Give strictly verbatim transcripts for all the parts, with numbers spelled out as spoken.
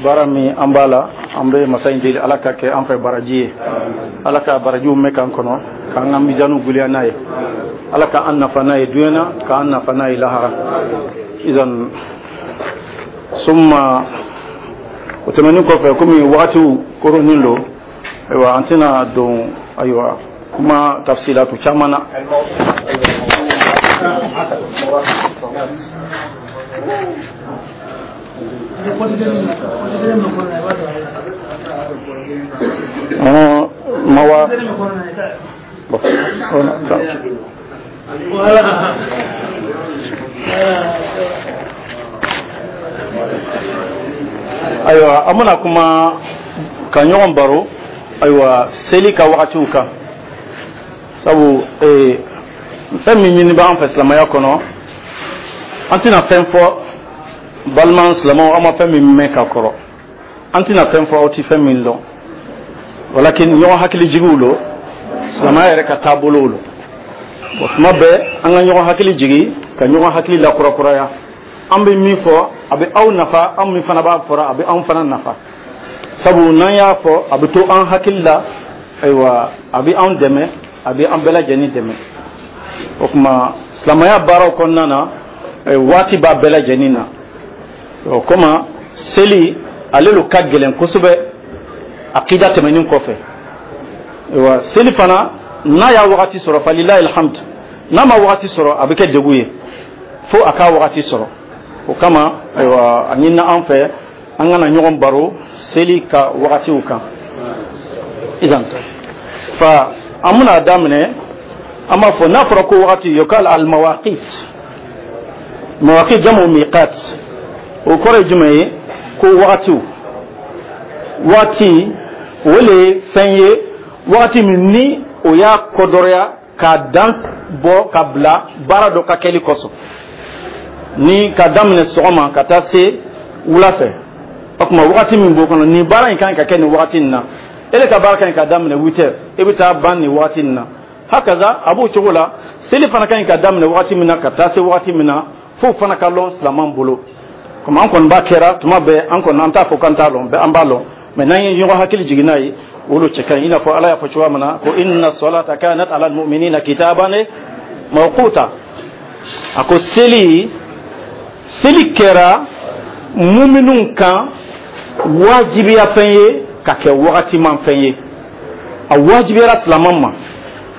Baara min an b'a la, an bɛ masa in deli, Ala ka kɛ an fɛ baraji ye, Ala ka barajiw mɛn k'an kɔnɔ, k'an ka mizaniw guliya n'a ye, Ala ka an nafa n'a ye duɲɛ na, k'an nafa n'a ye lahara. Izan summa, o tɛmɛnen kɔfɛ, komi wagatiw koronin don, ayiwa, an tɛna don, ayiwa, kuma tafsilatu caman na. Mawa ayiwa, an bɛna kuma ka ɲɔgɔn baro, ayiwa, seli ka wagatiw kan, sabu ee fɛn min ɲini b'an fɛ silamɛya kɔnɔ, an tɛna fɛn fɔ balima silamɛw, aw ma fɛn min mɛn ka kɔrɔ, an tɛna fɛn fɔ aw tɛ fɛn min dɔn, walakin ɲɔgɔn hakili jigiw lo, silamɛya yɛrɛ ka taabolow lo. Bon, tuma bɛɛ an ka ɲɔgɔn hakili jigi, ka ɲɔgɔn hakili lakurakuraya. An bɛ min fɔ, a bɛ aw nafa, an min fana b'a fɔra, a bɛ anw fana nafa, sabu n'an y'a fɔ, a bɛ to an hakili la, ayiwa, a bɛ anw dɛmɛ, a bɛ an bɛɛ lajɛlen dɛmɛ. O tuma silamɛya baaraw kɔnɔna na, waati b'a bɛɛ lajɛlen na. O kama seli ale lo ka gɛlɛn kosɛbɛ akida tɛmɛnen kɔfɛ. Ayiwa, seli fana, n'a y'a wagati sɔrɔ, falilahi alhamd, n'a ma wagati sɔrɔ, a bɛ kɛ degun ye fo a k'a wagati sɔrɔ. O kama, ayiwa, a ɲinina an fɛ an kana ɲɔgɔn baro seli ka wagatiw kan. Idan fa, an bɛna daminɛ, an b'a fɔ n'a fɔra ko wagati, yukal al mawaqit, mawaqit jamu miqat, o kɔrɔ ye jumɛn ye? Ko wagatiw, waati o le ye fɛn ye, wagati min ni o y'a kɔdɔrɔya k'a dan bɔ ka bila baara dɔ ka kɛli kosɔn, ni ka daminɛ sɔgɔma ka taa se wula fɛ. O tuma wagati min b'o kɔnɔ, nin baara in kan ka kɛ nin wagati in na, e de ka baara kan ka daminɛ huit heures, e bɛ taa ban nin wagati in na, hakaza a b'o cogo la. Seli fana kan ka daminɛ wagati min na ka taa se wagati min na, f'o fana ka lɔn silamɛw bolo. Komi an kɔni b'a kɛra tuma bɛɛ, an kɔni an t'a fɔ k'an t'a lɔn, an b'a lɔn, mɛ n'an ye ɲɔgɔn hakili jigin n'a ye, o lo cɛ ka ɲi. I n'a fɔ Ala y'a fɔ cogoya min na ko inna salata kanat ala almu'minina kitaban mawquta, a ko seli seli kɛra muminw kan wajibiya fɛn ye, ka kɛ wagatiman fɛn ye, a wajibiyara silamɛ ma,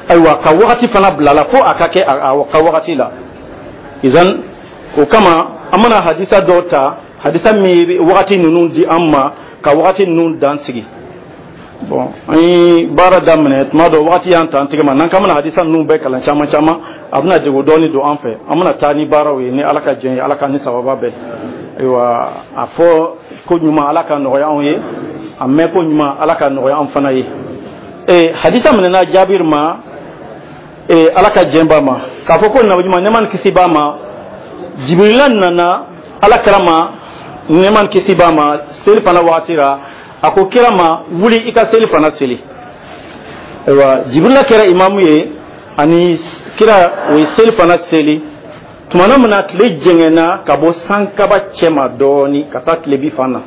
ayiwa, ka wagati fana bila la fo a ka kɛ a ka wagati la. Izan o kama an mana hadisa dɔw ta, hadisa min bɛ wagati ninnu di an ma, ka wagati ninnu dan sigi. Bon, an ye baara daminɛ tuma dɔ, wagati y'an ta an tigɛ ma, n'an k'an bɛna hadisa ninnu bɛɛ kalan caman caman, a bɛna degun dɔɔni don an fɛ. An bɛna taa ni baaraw ye ni Ala ka jɛn ye, Ala ka ni sababa bɛɛ. Ayiwa, a fɔ ko ɲuman, Ala ka nɔgɔya anw ye, a mɛn ko ɲuman, Ala ka nɔgɔya an fana ye. Ee hadisa minɛna Jabir ma, ee Ala ka jɛn b'a ma, k'a fɔ ko nabi ɲuman, nɛɛma ni kisi b'a ma, Jibirila nana Ala kira ma, nɛɛma ni kisi b'a ma, seli fana wagati la, a ko kira ma: wuli i ka seli fana seli. Ayiwa, Jibirila kɛra imamu ye ani kira, o ye seli fana seli tumana min na tile jɛngɛnna ka bɔ sankaba cɛma dɔɔni ka taa tilebi fan na,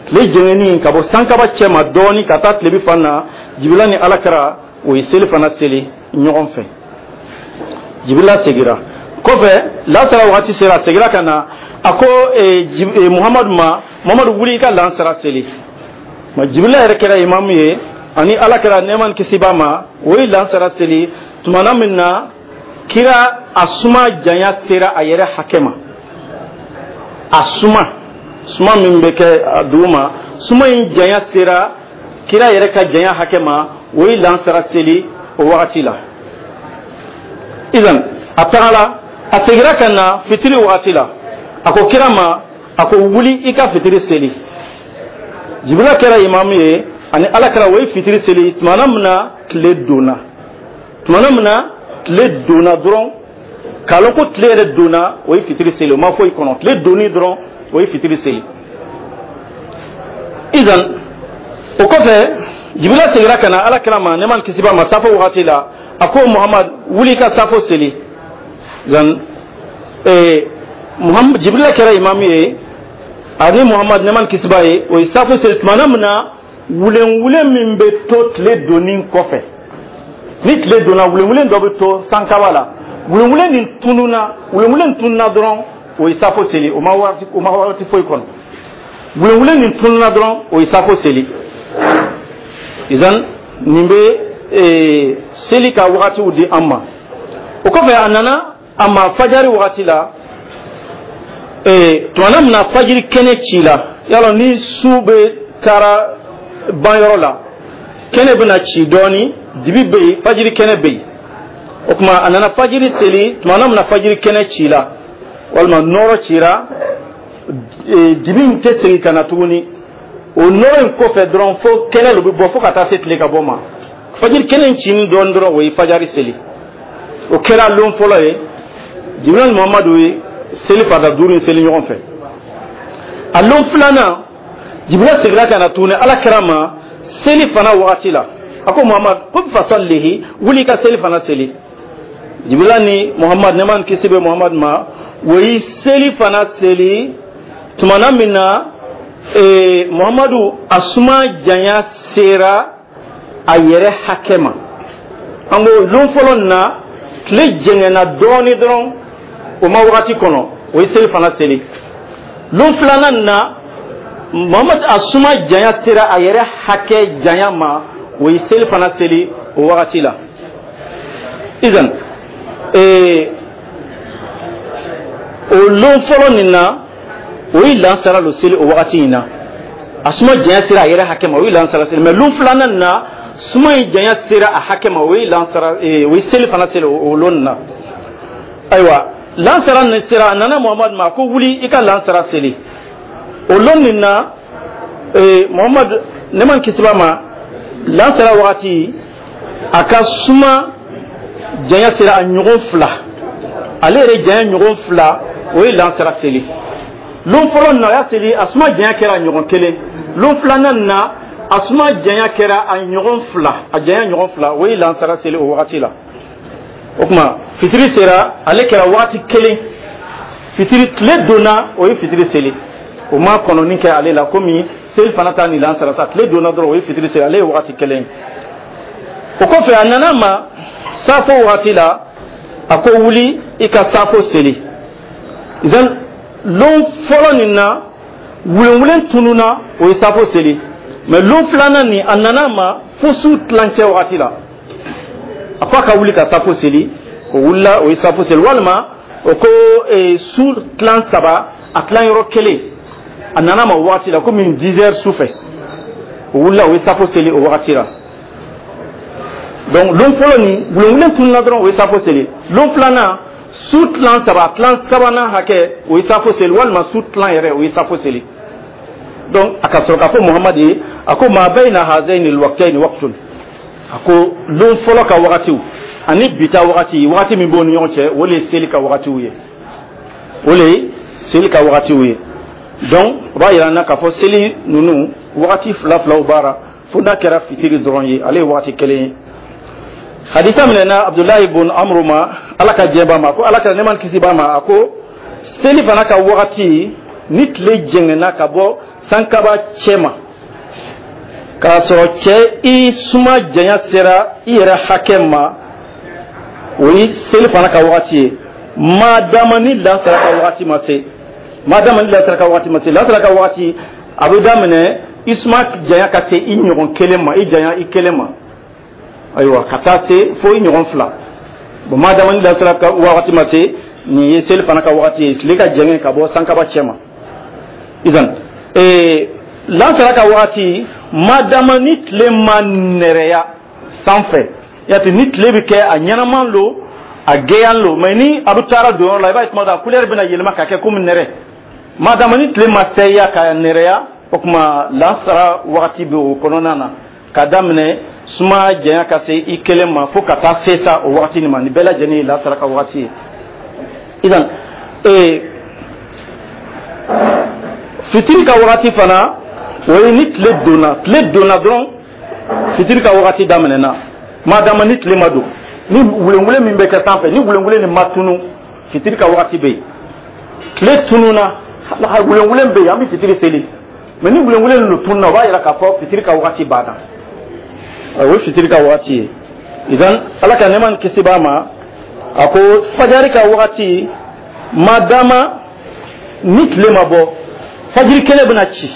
tile jɛngɛnni ka bɔ sankaba cɛma dɔɔni ka taa tilebi fan na, Jibirila ni Ala kira, o ye seli fana seli ɲɔgɔn fɛ. Jibirila segira kɔfɛ, lansara wagati sera, a segira ka na, a ko eh, Muhamadu ma: Muhamadu, wuli i ka lansara seli. Ma Jibirila yɛrɛ kɛra imamu ye ani Ala kɛra, nɛɛma ni kisi b'a ma, o ye lansara seli tumana min na kira a suma janya sera a yɛrɛ hakɛ ma, a suma suma min bɛ kɛ dugu ma, suma in janya sera kira yɛrɛ ka janya hakɛ ma, o ye lansara seli o wagati la. Izan a tagala, a segira ka na fitiri wagati la, a ko kira ma, a ko: wuli i ka fitiri seli. Jibirila kɛra imamu ye ani Ala kɛra, o ye fitiri seli tumana min na tile donna, tumana min na tile donna dɔrɔn, k'a lɔn ko tile yɛrɛ donna, o ye fitiri seli, o ma foyi kɔnɔ, tile donni dɔrɔn, o ye fitiri seli. Izan o kɔfɛ, Jibirila segira ka na Ala kira ma, nɛɛma ni kisi b'a ma, safo wagati la, a ko: Muhamad, wuli i ka safo seli. Zan ee Muhamad, Jibirila kɛra imamu ye. Ani Muhammad, nɛɛma ni kisi b'a ye, o ye safo seli tumana min na wulenwulen min bɛ to tile donni kɔfɛ. Ni tile donna, wulenwulen dɔ bɛ to sankaba la. Wulenwulen nin tununa, wulenwulen tununa dɔrɔn, o ye safo seli. O ma waati, o ma waati foyi kɔnɔ. Wulenwulen nin tununa dɔrɔn, o ye safo seli. Izan nin bɛ ee, seli ka wagatiw di an ma. O kɔfɛ, a nana a ma fajari wagati la ee, tumana min na fajiri kɛnɛ ci la. Yalɔ ni su bɛ taara banyɔrɔ la, kɛnɛ bɛna ci dɔɔni, dibi bɛ yen, fajiri kɛnɛ bɛ yen. O tuma a nana fajiri seli tumana min na fajiri kɛnɛ ci la, walima nɔrɔ cira, dibi in tɛ segin ka na tuguni. O nɔrɔ in kɔfɛ dɔrɔn, fo kɛnɛ de bɛ bɔ fo ka taa se tile ka bɔ ma. Fajiri kɛnɛ in cini dɔɔni dɔrɔn, o ye fajari seli. O kɛra lon fɔlɔ ye. Jibiril ni Muhamadu ye seli farida duuru in seli ɲɔgɔn fɛ. A lon filanan, Jibiril seginna ka na tuguni Ala kira ma seli fana wagati la. A ko: "Muhamadu, qum fasallihi", wuli ka seli fana seli. Jibirila ni Muhamadu, nɛɛma ni kisi bɛ Muhamadu ma, o ye seli fana seli tumana min na ee, Muhamadu a suma janya sera a yɛrɛ hakɛ ma. An ko lon fɔlɔ nin na, tile jɛngɛnna dɔɔni dɔrɔn, o ma wagati kɔnɔ, o ye seli fana seli. Lon filanan nin na, Muhamadu a suma janya sera a yɛrɛ hakɛ janya ma, o ye seli fana seli o wagati la. Izan ee, o lon fɔlɔ nin na, o ye lansara lo seli o wagati in na. A suma janya sera a yɛrɛ hakɛ ma, o ye lansara seli. Mɛ lon filanan nin na, suma in janya sera a hakɛ ma, o ye lansara, o ye seli fana seli o lon nin na. Ayiwa, lansara nin sera, a nana Muhamadu ma ko: "Wuli i ka lansara seli." O lon nin na, Muhamadu, nɛɛma ni kisi b'a ma, lansara wagati, a ka suma janya sera a ɲɔgɔn fila, ale yɛrɛ janya ɲɔgɔn fila, o ye lansara seli. Lon fɔlɔ nin na, o y'a seli, a suma janya kɛra a ɲɔgɔn kelen. Lon filanan nin na, a suma janya kɛra a ɲɔgɔn fila, a janya ɲɔgɔn fila, o ye lansara seli o wagati la. O tuma fitiri sera, ale kɛra wagati kelen. Fitiri tile donna, o ye fitiri seli. O ma kɔnɔni kɛ ale la komi seli fana ta ni lansara ta. Tile donna dɔrɔn, o ye fitiri seli, ale ye wagati kelen. O kɔfɛ, a nana ma safo wagati la, a ko: "Wuli i ka safo seli." Izan lon fɔlɔ nin na, wulenwulen tununa, o ye safo seli. Mɛ lon filanan nin, a nana ma fo su tilancɛ wagati la, a ko a ka wuli ka safo seli. O wulila, o ye safo seli. Walima o ko e, su tilan saba, a tilan yɔrɔ kelen, a nana ma o wagati la, komi dix heures su fɛ, o wulila, o ye safo seli o wagati la. Donc lon fɔlɔ nin, wulenwulen tununa dɔrɔn, o ye safo seli. Lon filanan, su tilan saba, tilan sabanan hakɛ, o ye safo seli, walima su tilan yɛrɛ, o ye safo seli. Donc a ka sɔrɔ k'a fɔ Muhamadu ye, a ko: "Ma bayna hazaini alwaqtaini waqtun." A ko lon fɔlɔ ka wagatiw ani bita wagati, wagati min b'o ni ɲɔgɔn cɛ, o le ye seli ka wagatiw ye, o le ye seli ka wagatiw ye. Donc o b'a yira n na k'a fɔ seli ninnu wagati fila filaw b'ara, fo n'a kɛra fitiri dɔrɔn ye, ale ye wagati kelen ye. Hadisa minɛna Abdulahi bun Amru ma, Ala ka diɲɛ b'a ma, ko Ala ka nɛɛma ni kisi b'a ma, a ko seli fana ka wagati, ni tile jɛngɛnna ka bɔ sankaba cɛ ma, k'a sɔrɔ cɛ i suma janya sera i yɛrɛ hakɛ ma, o ye seli fana ka wagati ye, madama ni lansara ka wagati ma se. Madama ni lansara ka wagati ma se. Lansara ka wagati a bɛ daminɛ i suma janya ka se i ɲɔgɔn kelen ma, i janya i kelen ma, ayiwa, ka taa se fo i ɲɔgɔn fila. Bon, madama ni lansara ka wagati ma se, nin ye seli fana ka wagati ye, tile ka jɛngɛ ka bɔ sankaba cɛ ma. Izan ee, lansara ka wagati, madama ni tile ma nɛrɛya sanfɛ, yati ni tile bɛ kɛ a ɲɛnaman lo, a gɛyan lo, mɛ ni a bɛ taara don yɔrɔ la, i b'a ye tuma dɔ a couleur bɛna yɛlɛma ka kɛ komi nɛrɛ. Madama ni tile ma sɛya ka nɛrɛya, o tuma lansara wagati bɛ o kɔnɔna na, ka daminɛ suma janya ka se i kelen ma fo ka taa se sa o wagati nin ma. Nin bɛɛ lajɛlen ye lansara ka wagati ye. Idan ee, fitiri ka wagati fana, o ye ni tile donna. Tile donna dɔrɔn, fitiri ka wagati daminɛna, madama ni tile ma don, ni wulenwule min bɛ kɛ sanfɛ, ni wulenwule nin ma tunu, fitiri ka wagati bɛ yen. Tile tununa. Wulenwulen bɛ yen, an bɛ fitiri seli, mais ni wulenwulen ninnu tununa, o b'a yira k'a fɔ fitiri ka wagati banna. O ye fitiri ka wagati ye. Idan Ala ka nɛɛma ni kisi b'a ma, a ko fajari ka wagati ma dama ni tile ma bɔ, fajiri kɛnɛ bɛna ci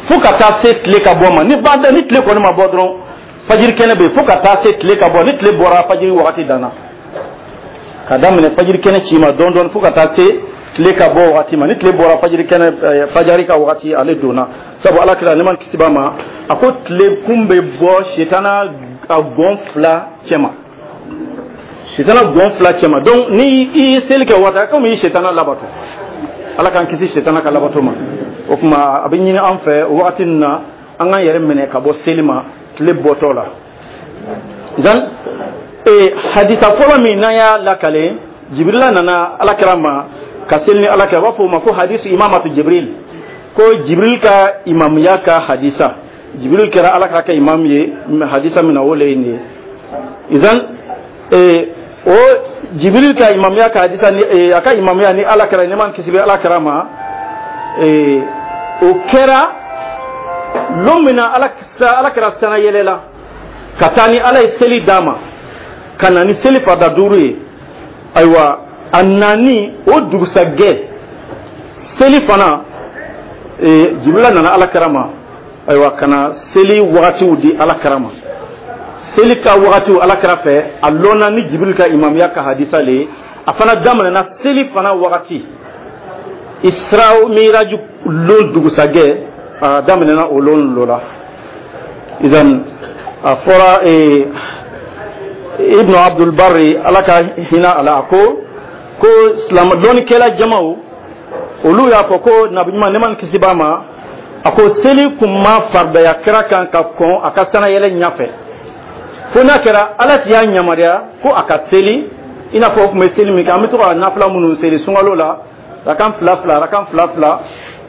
fo ka taa se tile ka bɔ ma. Ni ban ni tile kɔni ma bɔ dɔrɔn, fajiri kɛnɛ bɛ yen fo ka taa se tile ka bɔ. Ni tile bɔra, fajiri wagati danna, ka daminɛ fajiri kɛnɛ ci ma dɔɔni dɔɔni fo ka taa se tile ka bɔ wagati ma. Ni tile bɔra, fajiri kɛnɛ, fajari ka wagati ale donna. Sabu Ala kira, nɛɛma ni kisi b'a ma, a ko tile kun bɛ bɔ sitana a gɔn fila cɛma, sitana gɔn fila cɛma. Donc ni i ye seli kɛ waati, komi i ye sitana labato, Ala k'an kisi sitana ka labato ma. O tuma a bɛ ɲini an fɛ o wagati ninnu na, an k'an yɛrɛ minɛ ka bɔ seli ma tile bɔtɔ la. Zan ee hadisa fɔlɔ min n'an y'a lakale, Jibirila nana Ala kira ma ka seli ni Ala kira, u b'a fɔ o ma ko hadisu imamatu Jibril, ko Jibril ka imamuya ka hadisa. Jibril kɛra Ala kira ka imam ye hadisa min na, o le ye nin ye. Izan ee o Jibril ka imamuya ka hadisa ni a ka imamuya ni Ala kira, nɛɛma ni kisi bɛ Ala kira ma, ee o kɛra lon min na Ala Ala kira sana yɛlɛla ka taa ni Ala ye seli d'a ma, ka na ni seli farida duuru ye. Ayiwa, a nani o dugusajɛ seli fana, Jibirila nana Ala kira ma, ayiwa, ka na seli wagatiw di Ala kira ma. Seli ka wagatiw Ala kira fɛ, a lɔnna ni Jibiril ka imamuya ka hadisa le ye. A fana daminɛna seli fana wagati Isra Miraju lon dugusajɛ, a daminɛna o lon lo la. Idan a fɔra Ibnu Abdul Barri, Ala ka hinɛ a la, a ko ko silamɛ dɔnnikɛla jamaw olu y'a fɔ ko Nabi ɲuman, nɛɛma ni kisi b'a ma, a ko seli kun ma faridaya kira kan ka kɔn a ka sanayɛlɛ ɲɛfɛ, fo n'a kɛra Ala ti y'a yamaruya ko a ka seli. I n'a fɔ o tun bɛ seli min kɛ, an bɛ to ka nafila minnu seli sunkalo la, rakan fila fila, rakan fila fila.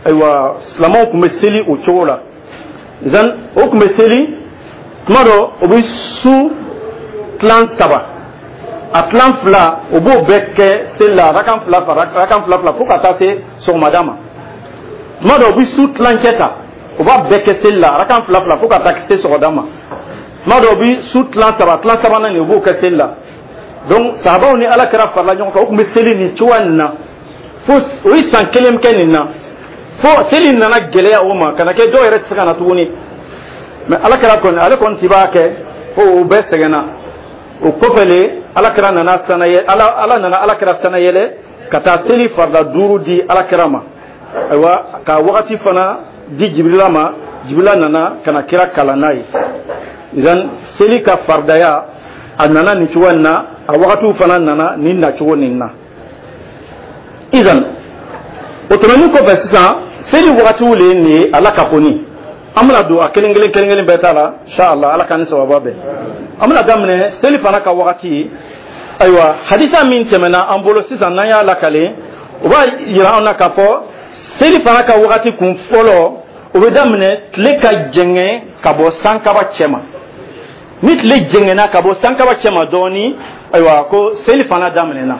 Ayiwa, silamɛw tun bɛ seli o cogo la. Zan o tun bɛ seli tuma dɔ, o bɛ su tilan saba, a tilan fila, o b'o bɛɛ kɛ seli la, rakan fila fila, rakan fila fila, fo ka taa se sɔgɔmada ma. Tuma dɔ, o bɛ su tilancɛ ta, o b'a bɛɛ kɛ seli la, rakan fila fila, fo ka taa se sɔgɔmada ma. Tuma dɔ, o bɛ su tilan saba, tilan sabanan nin, o b'o kɛ seli la. Donc sahabaw ni Ala kɛra farala ɲɔgɔn kan, o tun bɛ seli nin cogoya nin na fo o ye san kelen kɛ nin na, fo seli nana gɛlɛya o ma, ka na kɛ dɔw yɛrɛ tɛ se ka na tuguni. Mais Ala kɛra kɔni, ale kɔni ti b'a kɛ fo o bɛɛ sɛgɛnna. O kɔfɛ le, Ala kɛra nana sanayɛ, Ala Ala nana Ala kɛra sanayɛlɛ ka taa seli farida duuru di Ala kɛra ma. Ayiwa, ka wagati fana di Jibirila ma, Jibirila nana ka na kira kalan n'a ye. Idan seli ka faridaya a nana nin cogoya in na, a wagatiw fana nana nin nacogo nin na. Idan o tɛmɛnen kɔfɛ, sisan seli wagatiw le ye nin ye. Ala ka koni an bɛna don a kelen kelen kelen kelen bɛɛ ta la, inshallah, Ala k'an ni sababa bɛn. An bɛna daminɛ seli fana ka wagati. Ayiwa, hadisa min tɛmɛna an bolo sisan, n'an y'a lakale, o b'a yira an na k'a fɔ seli fana ka wagati kun fɔlɔ, o bɛ daminɛ tile ka jɛngɛ ka bɔ sankaba cɛ ma. Ni tile jɛngɛnna ka bɔ sankaba cɛ ma dɔɔni, ayiwa, ko seli fana daminɛna.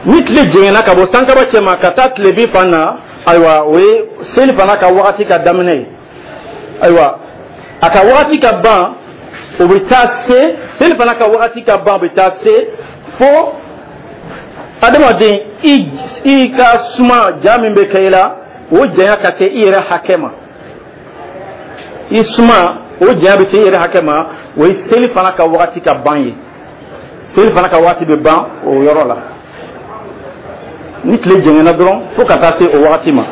Ni tile jɛngɛnna ka bɔ sankaba cɛ ma ka taa tilebin fan na, ayiwa, o ye seli fana ka wagati ka daminɛ ye. Ayiwa, a ka wagati ka ban, o bɛ taa se seli fana ka wagati ka ban, o bɛ taa se fo adamaden i i ka suma ja min bɛ kɛ i la, o janya ka kɛ i yɛrɛ hakɛ ma. I suma o janya bɛ se i yɛrɛ hakɛ ma, o ye seli fana ka wagati ka ban ye. Seli fana ka wagati bɛ ban o yɔrɔ la, ni tile jɛngɛnna dɔrɔn fo ka taa se o wagati ma.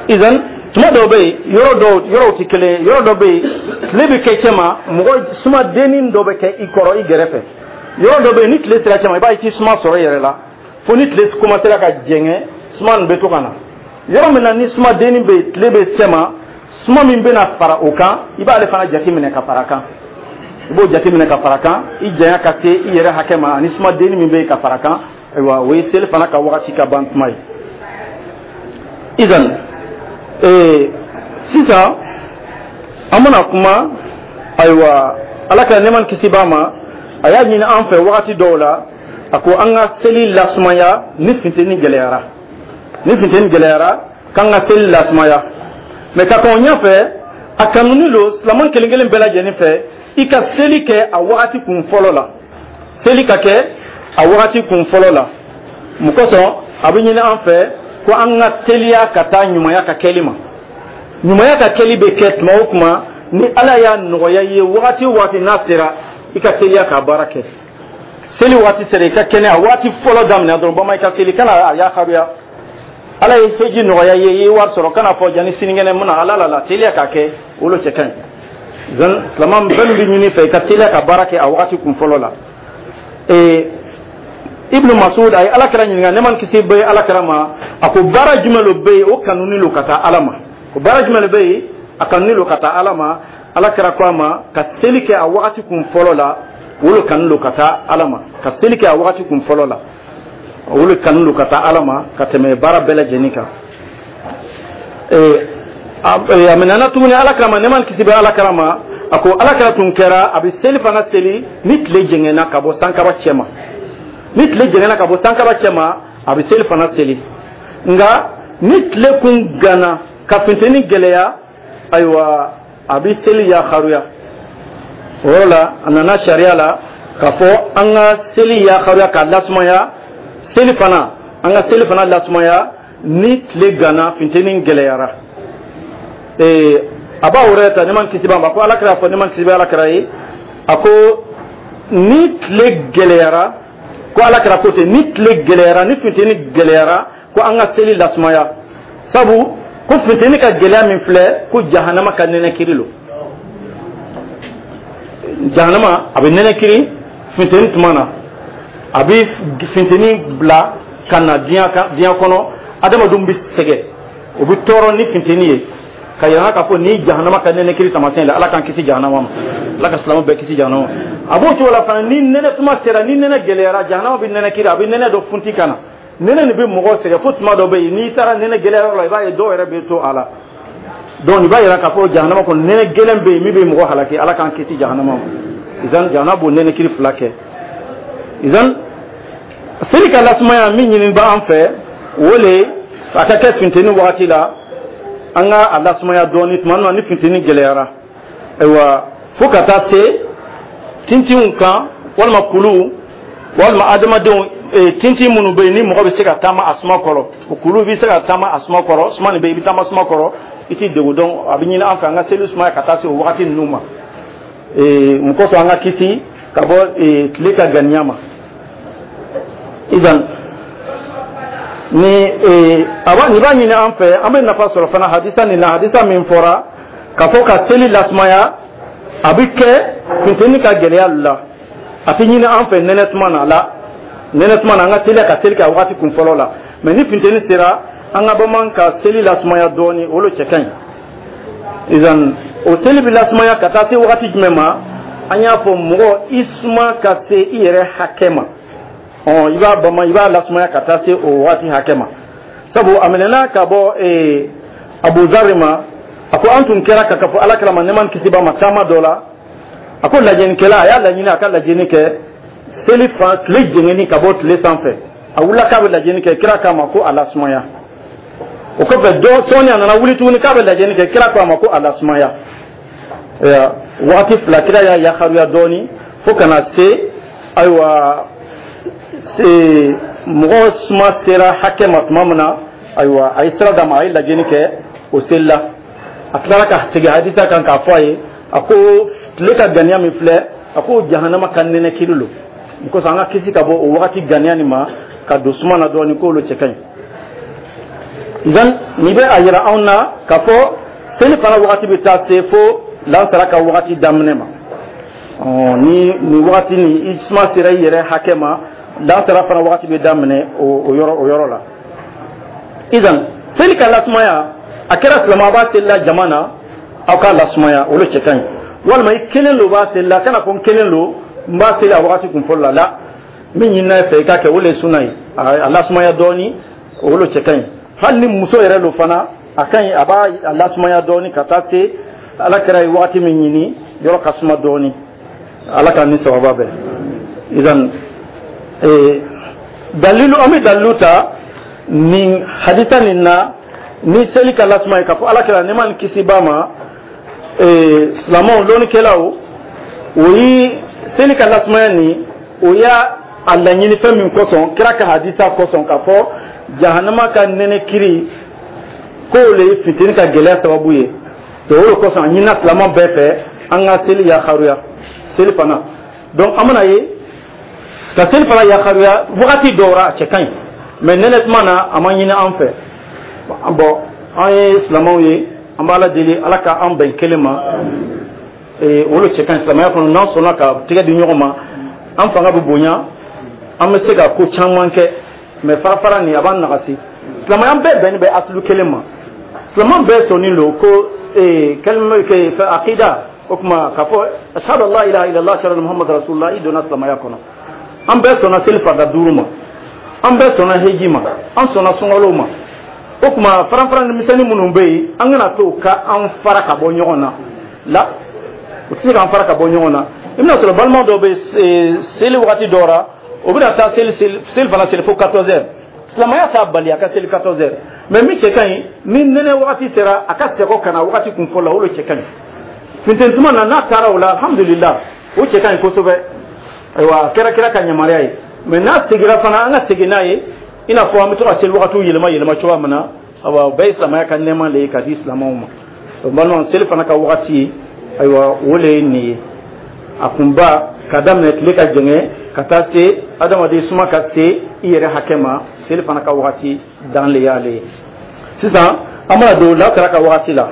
Izan tuma dɔw bɛ yen, yɔrɔ dɔw yɔrɔw tɛ kelen ye. Yɔrɔ dɔ bɛ yen, tile bɛ kɛ cɛ ma, mɔgɔ suma dennin dɔ bɛ kɛ i kɔrɔ, i gɛrɛfɛ. Yɔrɔ dɔ bɛ yen, ni tile sera cɛ ma, i b'a ye i tɛ suma sɔrɔ i yɛrɛ la, fo ni tile commencera ka jɛngɛ, suma nin bɛ to ka na. Yɔrɔ min na ni suma dennin bɛ yen, tile bɛ cɛ ma, suma min bɛna fara o kan, i b'ale fana jateminɛ ka fara kan. I b'o jateminɛ ka fara kan, i janya ka se i yɛrɛ hakɛ ma, ani suma dennin min bɛ yen ka fara kan. Ayiwa, o ye seli fana ka wagati ka ban tuma ye. Izan ee sisan an bɛna kuma. Ayiwa, Ala ka nɛɛma ni kisi b'a ma, a y'a ɲini an fɛ wagati dɔw la A ko an ka seli lasumaya ni funteni gɛlɛyara, ni funteni gɛlɛyara, k'an ka seli lasumaya. Mɛ ka kɔn ɲɛfɛ, a kanuni lo silamɛ kelen kelen bɛɛ lajɛlen fɛ, i ka seli kɛ a wagati kun fɔlɔ la, seli ka kɛ a wagati kun fɔlɔ la. Mun kosɔn a bɛ ɲini an fɛ ko an ka teliya ka taa ɲumanya ka kɛli ma? Ɲumanya ka kɛli bɛ kɛ tuma o tuma ni Ala y'a nɔgɔya i ye. Wagati o wagati n'a sera, i ka teliya k'a baara kɛ. Seli waati sera, i ka kɛnɛ a waati fɔlɔ daminɛ dɔrɔn, bama i ka seli, kana a yakaruya. Ala ye heji nɔgɔya i ye, i ye wari sɔrɔ, kana fɔ jani sinikɛnɛ mun na. Ala la la, teliya k'a kɛ, o lo cɛ ka ɲi. Zan silama fɛn min bɛ ɲini fɛ, i ka teliya ka baara kɛ a wagati kun fɔlɔ la. Ee, Ibnu Masud a ye Ala kira ɲininka, nɛɛma ni kisi bɛ Ala kira ma, a ko baara jumɛn lo bɛ yen, o kanuni lo ka taa Ala ma? Ko baara jumɛn lo bɛ yen, a kanuni lo ka taa Ala ma? Ala kira ko a ma, ka seli kɛ a wagati kun fɔlɔ la, o lo kanu lo ka taa Ala ma. Ka seli kɛ a wagati kun fɔlɔ la, o lo kanu lo ka taa Ala ma ka tɛmɛ baara bɛɛ lajɛlen kan. Ee, a minɛna tuguni Ala kira ma, nɛɛma ni kisi bɛ Ala kira ma, a ko Ala kira tun kɛra a bɛ seli fana seli ni tile jɛngɛnna ka bɔ sankaba cɛ ma. Ni tile jɛngɛnna ka bɔ sankaba cɛ ma, a bɛ seli fana seli. Nka ni tile kun ganna ka funteni gɛlɛya, ayiwa, a bɛ seli yakaruya. O yɔrɔ la, a nana sariya la k'a fɔ an ka seli yakaruya k'a lasumaya, seli fana, an ka seli fana lasumaya ni tile ganna, funteni gɛlɛyara. Ee, a b'a yɛrɛ ta, nɛɛma kisi b'a ma, ko Ala kira fɔ, nɛɛma kisi bɛ Ala kira ye, a ko ni tile gɛlɛyara, ko Ala kira ko ten, ni tile gɛlɛyara, ni funteni gɛlɛyara, ko an ka seli lasumaya, sabu ko funteni ka gɛlɛya min filɛ, ko jahanama ka nɛnɛkiri lo. Jahanama a bɛ nɛnɛkiri funteni tuma na, a bɛ funteni bila ka na diɲɛ kan, diɲɛ kɔnɔ adamadenw bɛ sɛgɛn, o bɛ tɔɔrɔ ni funteni ye, ka yira k'a fɔ ni jahanama ka nɛnɛkiri taamasiyɛn la. Ala k'an kisi jahanama ma, Ala ka silamɛw bɛɛ kisi jahanama ma. A b'o cogo la fana, ni nɛnɛ tuma sera, ni nɛnɛ gɛlɛyara, jahanama bɛ nɛnɛkiri, a bɛ nɛnɛ dɔ funti ka na. Nɛnɛ nin bɛ mɔgɔw sɛgɛn fo tuma dɔ bɛ yen, n'i taara nɛnɛ gɛlɛyayɔrɔ la, i b'a ye dɔw yɛrɛ bɛ to a la. Donc nin b'a yira k'a fɔ jahanama kɔnɔ, nɛnɛ gɛlɛn bɛ yen min bɛ mɔgɔ halaki. Ala k'an kisi jahanama ma. Izan jahanama b'o nɛnɛkiri fila kɛ. Izan seli ka lasumaya min ɲini b'an fɛ, o le a ka kɛ funteni wagati la, an ka a lasumaya dɔɔni tuma min na ni funteni gɛlɛyara, ayiwa, fo ka taa se tintinw kan, walima kuluw, walima adamadenw tintin minnu bɛ yen ni mɔgɔ bɛ se ka taama a suma kɔrɔ. O kulu bɛ se ka taama a suma kɔrɔ, suma nin bɛ yen, i bɛ taama suma kɔrɔ, i t'i degun. Dɔn a bɛ ɲini an fɛ an ka seli sumaya ka taa se o wagati ninnu ma. Mun kosɔn? An ka kisi ka bɔ tile ka ganiya ma. Idan ni a b'a nin b'a ɲini an fɛ, an bɛ nafa sɔrɔ fana hadisa nin na. Hadisa min fɔra k'a fɔ ka seli lasumaya, a bɛ kɛ funteni ka gɛlɛya la, a tɛ ɲini an fɛ nɛnɛ tuma na la. Nɛnɛ tuma na, an ka teliya ka seli kɛ a wagati kun fɔlɔ la. Mɛ ni funteni sera, an ka bamanan ka seli lasumaya dɔɔni, o lo cɛ ka ɲi. Izan o seli bɛ lasumaya ka taa se wagati jumɛn ma? An y'a fɔ, mɔgɔ i suma ka se i yɛrɛ hakɛ ma, ɔ i b'a bama, i b'a lasumaya ka taa se o wagati hakɛ ma. Sabu a minɛna ka bɔ ee Abuzari ma, a ko an tun kɛra ka fɔ Ala kira ma, nɛɛma ni kisi b'a ma, taama dɔ la, a ko lajɛnikɛla a y'a laɲini a ka lajɛni kɛ seli fan tile jɛngɛni ka bɔ tile sanfɛ. A wulila k'a bɛ lajɛni kɛ, kira k'a ma ko a lasumaya. O kɔfɛ dɔ sɔɔni, a nana wuli tuguni k'a bɛ lajɛni kɛ, kira ko a ma ko a lasumaya. Wagati fila, kira y'a yakaruya dɔɔni fo ka na se, ayiwa, mɔgɔ suma sera hakɛ ma tuma min na, ayiwa, a ye sira d'a ma, a ye lajɛni kɛ o seli la. A tilara ka segin hadisa kan k'a fɔ a ye, a ko tile ka ganiya min filɛ, a ko jahanama ka nɛnɛ kiri lo. O kosɔn an ka kisi ka bɔ o wagati ganiya nin ma ka don suma na dɔɔni, k'olu cɛ ka ɲi. Idan nin bɛ a yira anw na k'a fɔ seli fana wagati bɛ taa se fo lansara ka wagati daminɛ ma. Ni nin wagati ni i suma sera i yɛrɛ hakɛ ma, lansara fana wagati bɛ daminɛ o yɔrɔ o yɔrɔ la. Idan seli ka lasumaya, a kɛra silamɛ b'a seli la jama na, aw k'a lasumaya, olu cɛ ka ɲi. Walima i kelen lo b'a seli la, kana fɔ n kelen lo, n b'a seli a wagati kun fɔlɔ la. La min ɲinina i fɛ, i k'a kɛ, o le ye suna ye, a lasumaya dɔɔni, o le cɛ ka ɲi. Hali ni muso yɛrɛ lo fana, a ka ɲi, a b'a lasumaya dɔɔni ka taa se Ala kɛra ye wagati min ɲini, yɔrɔ ka suma dɔɔni. Ala ka ni sababa bɛn. Idan Ee, dalilu, an bɛ dalilu ta nin hadisa nin na ni seli ka lasuma ye, k'a fɔ Ala kɛra nɛɛma ni kisi b'a ma. Ee, silamɛw, lɔnnikɛlaw, o ye seli ka lasumaya nin, o y'a a laɲini fɛn min kosɔn, kira ka hadisa kosɔn, k'a fɔ jahanama ka nɛnɛ kiri k'o le ye fitini ka gɛlɛya sababu ye. To o de kosɔn, a ɲinina silamɛ bɛɛ fɛ an ka seli yakaruya seli fana. Donc an bɛna ye ka seli fana yakaruya wagati dɔw ra, a cɛ ka ɲi, mais nɛnɛ tuma na, a ma ɲini an fɛ. Bon, an ye silamɛw ye, an b'Ala deli, Ala ka an bɛn kelen ma. O le cɛ ka ɲi silamɛya kɔnɔ. N'an sɔnna ka tigɛ di ɲɔgɔn ma, an fanga bɛ bonya, an bɛ se ka ko caman kɛ. Mais fara fara nin, a b'an nagasi. Silamɛya bɛɛ bɛnnen bɛ asulu kelen ma. Silamɛ bɛɛ sɔnnen don ko kalima akida, o tuma k'a fɔ ashhadu an la ilaha illallah, ashhadu anna muhammad rasulullah, i donna silamɛya kɔnɔ. An bɛɛ sɔnna seli farida duuru ma, an bɛɛ sɔnna heji ma, an sɔnna sunkalo ma. O tuma faran faran misɛnnin minnu bɛ yen, an kana to ka an fara ka bɔ ɲɔgɔn na la, o tɛ se k'an fara ka bɔ ɲɔgɔn na. I bɛna sɔrɔ balima dɔw bɛ seli wagati dɔw la, o bɛna taa seli seli fana seli fo quatorze heures. Silamɛya t'a bali a ka seli quatorze heures, mais min cɛ ka ɲi, ni nɛnɛ wagati sera, a ka sɛgɔ ka na wagati kun fɔlɔ la, o de cɛ ka ɲi. Funteni tuma na, n'a taara o la, alhamdulillah, o cɛ ka ɲi kosɛbɛ. Ayiwa, a kɛra kira ka yamaruya ye. Mais n'a seginna fana, an ka segin n'a ye, i n'a fɔ an bɛ to ka seli wagatiw yɛlɛma yɛlɛma cogoya min na. Ayiwa, o bɛɛ ye silamɛya ka nɛɛma de ye ka di silamɛw ma. O balimaw, seli fana ka wagati, ayiwa, o le ye nin ye. A kunba ka daminɛ tile ka jɛngɛ ka taa se adamaden suma ka se i yɛrɛ hakɛ ma, seli fana ka wagati dan le y'ale ye. Sisan an bɛna don lasara ka wagati la.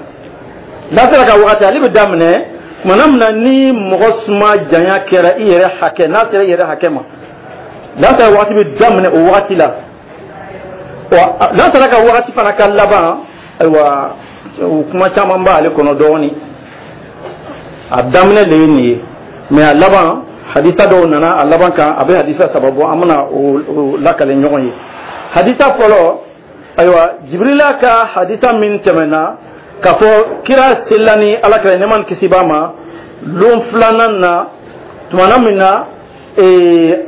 Lasara ka wagati, ale bɛ daminɛ tumana min na ni mɔgɔ suma janya kɛra i yɛrɛ hakɛ, n'a sera i yɛrɛ hakɛ ma, lasara wagati bɛ daminɛ o wagati la. Lasara ka wagati fana ka laban, ayiwa, o kuma caman b'ale kɔnɔ dɔɔnin. A daminɛ de ye nin ye, mais a laban, hadisa dɔw nana a laban kan, a bɛ hadisa saba bɔ, an bɛna o lakale ɲɔgɔn ye. Hadisa fɔlɔ, ayiwa, Jibirila ka hadisa min tɛmɛna k'a fɔ kira selila ni Ala kɛra nɛɛma ni kisi b'a ma lon filanan na, tumana min na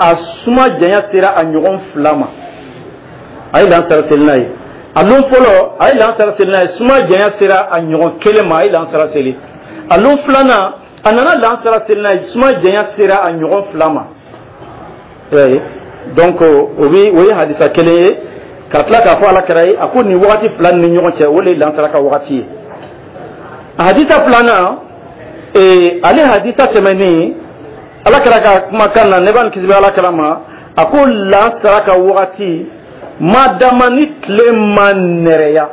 a suma janya sera a ɲɔgɔn fila ma, a ye lansara seli n'a ye. A lon fɔlɔ, a ye lansara seli n'a ye, suma janya sera a ɲɔgɔn kelen ma, a ye lansara seli. A lon filanan, a nana lansara seli n'a ye, suma janya sera a ɲɔgɔn fila ma. Donc o bi o ye hadisa kelen ye, ka tila k'a fɔ Ala kɛra ye, a ko nin wagati fila ni ɲɔgɔn cɛ, o de ye lansara ka wagati ye. A hadisa filanan, ee, ale hadisa tɛmɛnen, Ala kɛra ka kumakan na, ne b'a ni kisi bɛ Ala kɛra ma, a ko lansara ka wagati ma dama ni tile ma nɛrɛya,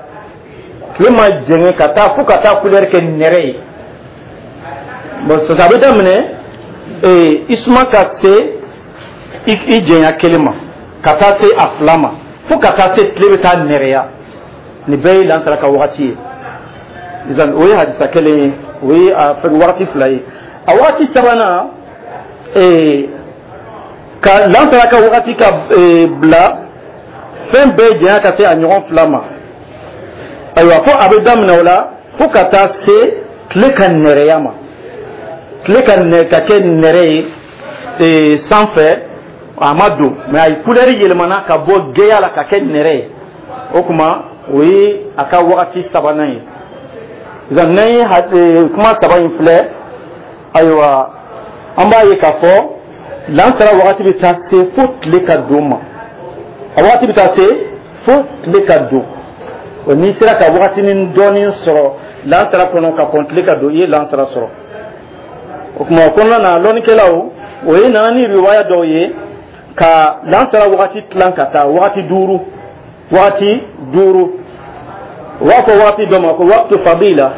tile ma jɛngɛ ka taa fo ka taa couleur kɛ nɛrɛ ye. Bon, sisan a bɛ daminɛ ee i suma ka se i jɛnya kelen ma, ka taa se a fila ma, fo ka taa se tile bɛ taa nɛrɛya. Nin bɛɛ ye lansara ka wagati ye. Sisan o ye hadisa kelen ye, o ye a fɛn wagati fila ye. A wagati sabanan, ee ka lansara ka wagati ka bila fɛn bɛɛ janya ka se a ɲɔgɔn fila ma, ayiwa, fo a bɛ daminɛ o la fo ka taa se tile ka nɛrɛya ma, tile ka nɛ ka kɛ nɛrɛ ye ee sanfɛ. A ma don, mais a ye couleur yɛlɛmana ka bɔ gɛya la ka kɛ nɛrɛ ye. O tuma o ye a ka wagati sabanan ye. Sisan n'an ye kuma saba in filɛ, ayiwa, an b'a ye k'a fɔ lansara wagati bɛ taa se fo tile ka don ma, a wagati bɛ taa se fo tile ka don. O n'i sera ka wagatinin dɔɔnin sɔrɔ lansara kɔnɔ ka kɔn tile ka don, i ye lansara sɔrɔ. O tuma o kɔnɔna na, lɔnnikɛlaw o ye nana ni riwaya dɔw ye ka lansara wagati tilan ka taa wagati duuru, wagati duuru. U b'a fɔ wagati dɔ ma ko waqtu fadila,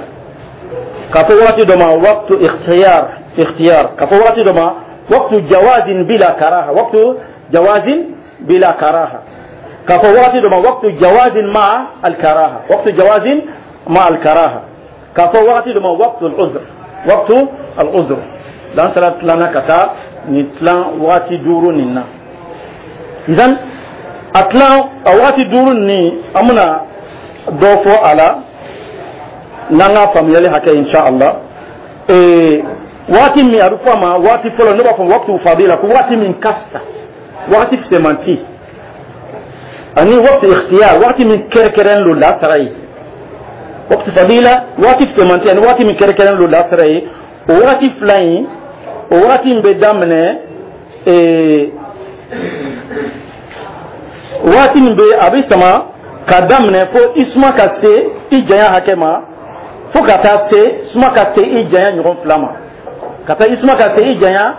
k'a fɔ wagati dɔ ma waqtu ikhtiyar ikhtiyar, k'a fɔ wagati dɔ ma waqtu jawazin bila karaha, waqtu jawazin bila karaha, k'a fɔ wagati dɔ ma waqtu jawazin ma al karaha, waqtu jawazin ma al karaha, k'a fɔ wagati dɔ ma waqtu al uzr, waqtu al uzr. Lansara tilanna ka taa nin tilan wagati duuru nin na. Idan a tilan a wagati duuru nin, an bɛna dɔ fɔ a la n'an ka faamuyali hakɛ, insha Allah. Ee, waati min a bɛ fɔ a ma waati fɔlɔ, ne b'a fɔ waqtu fadila, ko waati min ka fisa. Wagati fisɛmanti ani waqti ikhtiyar, wagati min kɛrɛkɛrɛn lo lasara ye. Waqti fadila, wagati fisɛmanti ani wagati min kɛrɛkɛrɛn lo lasara ye, o wagati fila in, o wagati in bɛ daminɛ ee wagati min bɛ, a bɛ sama ka daminɛ fo i suma ka se i janya hakɛ ma, fo ka taa se suma ka se i janya ɲɔgɔn fila ma, ka taa i suma ka se i janya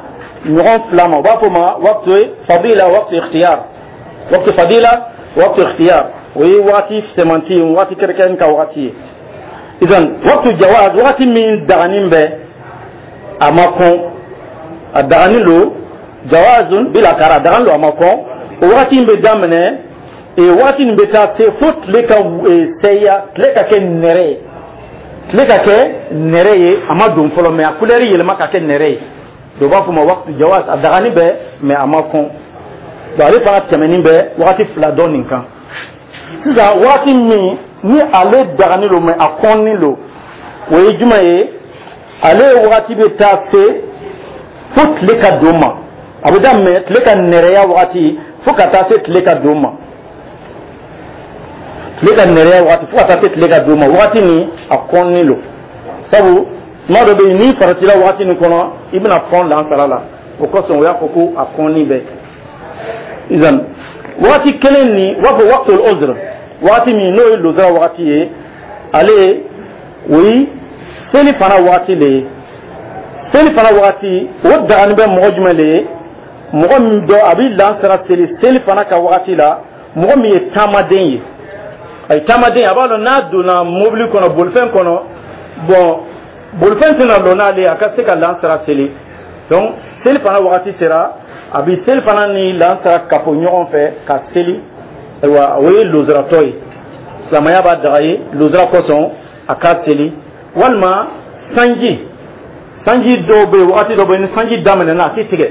ɲɔgɔn fila ma. U b'a fɔ o ma waqti fadila, waqti ikhtiyar. Waqti fadila, waqti ikhtiyar, o ye wagati fisɛmanti ye, wagati kɛrɛnkɛrɛn ka wagati ye. Idan waqti jawaz, wagati min daganin bɛ, a ma kɔn, a daganin lo, jawazun bila kara, a daganin lo, a ma kɔn. O wagati in bɛ daminɛ ee wagati nin bɛ taa se fo tile ka sɛya, tile ka kɛ nɛrɛ ye, tile ka kɛ nɛrɛ ye. A ma don fɔlɔ, mais a couleur yɛlɛma ka kɛ nɛrɛ ye. Dɔw b'a fɔ ma waqti jawaz, a dagani bɛ, mais a ma kɔn. Donc ale fana tɛmɛnin bɛ wagati fila dɔ nin kan. Sisan, wagati min ni ale dagani lo, mais a kɔnni lo, o ye jumɛn ye? Ale wagati bɛ taa se fo tile ka don ma. A bɛ daminɛ tile ka nɛrɛya wagati fo ka taa se tile ka don ma, tile ka nɛrɛya wagati fo ka taa se tile ka don ma. Wagati nin, a kɔnni lo, sabu tuma dɔ bɛ yen, n'i faratila wagati nin kɔnɔ, i bɛna kɔn lansara la. O kosɔn o y'a fɔ ko a kɔnni bɛ. Izan wagati kelen nin, u b'a fɔ waqtul uzr, wagati min n'o ye lozara wagati ye, ale o ye seli fana wagati le ye. Seli fana wagati, o dagani bɛ mɔgɔ jumɛn le ye? Mɔgɔ min dɔ a bɛ lansara seli seli fana ka wagati la, mɔgɔ min ye taamaden ye. A ye taamaden, a b'a dɔn n'a donna mobili kɔnɔ, bolifɛn kɔnɔ, bon, bolifɛn tɛna lɔ n'ale ye a ka se ka lansara seli. Donc seli fana wagati sera, a bɛ seli fana ni lansara kafo ɲɔgɔn fɛ ka seli. Ayiwa, o ye lozaratɔ ye. Silamɛya b'a daga ye lozara kosɔn a ka seli. Walima sanji, sanji dɔw bɛ yen, wagati dɔw bɛ yen, ni sanji daminɛna, a tɛ tigɛ.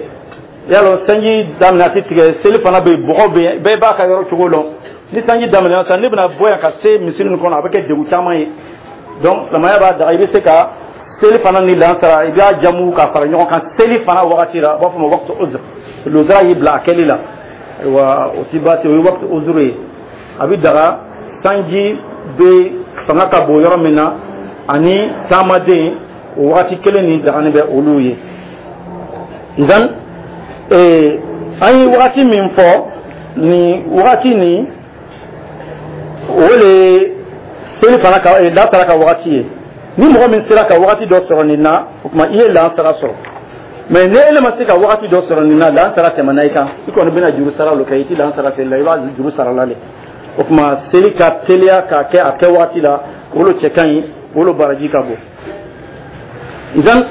Yalɔ sanji daminɛ, a tɛ tigɛ. Seli fana bɛ yen, bɔgɔ bɛ yen, bɛɛ b'a ka yɔrɔ cogo dɔn. Ni sanji daminɛna sisan, ne bɛna bɔ yan ka se misiri nin kɔnɔ, a bɛ kɛ degun caman ye. Donc silamɛya b'a daga, i bɛ se ka seli fana ni lansara, i b'a jamu ka fara ɲɔgɔn kan seli fana wagati la. U b'a fɔ o ma waqti uzr, lozara y'i bila a kɛli la. Ayiwa, o ti baasi, o ye waqti uzr ye. A bɛ daga sanji bɛ fanga ka bon yɔrɔ min na ani taamaden, o wagati kelen nin dagani bɛ olu ye. Idan ee an ye wagati min fɔ nin wagati nin, o le ye seli fana ka lansara ka wagati ye. Ni mɔgɔ min sera ka wagati dɔ sɔrɔ nin na, o tuma i ye lansara sɔrɔ. Mais ni e ma se ka wagati dɔ sɔrɔ nin na, lansara tɛmɛna i kan, i kɔni bɛna juru sara lo kɛ. I ti lansara seli la, i b'a juru sara la le. O tuma seli ka teliya k'a kɛ a kɛ wagati la, o lo cɛ ka ɲi, o lo baraji ka bon. Idan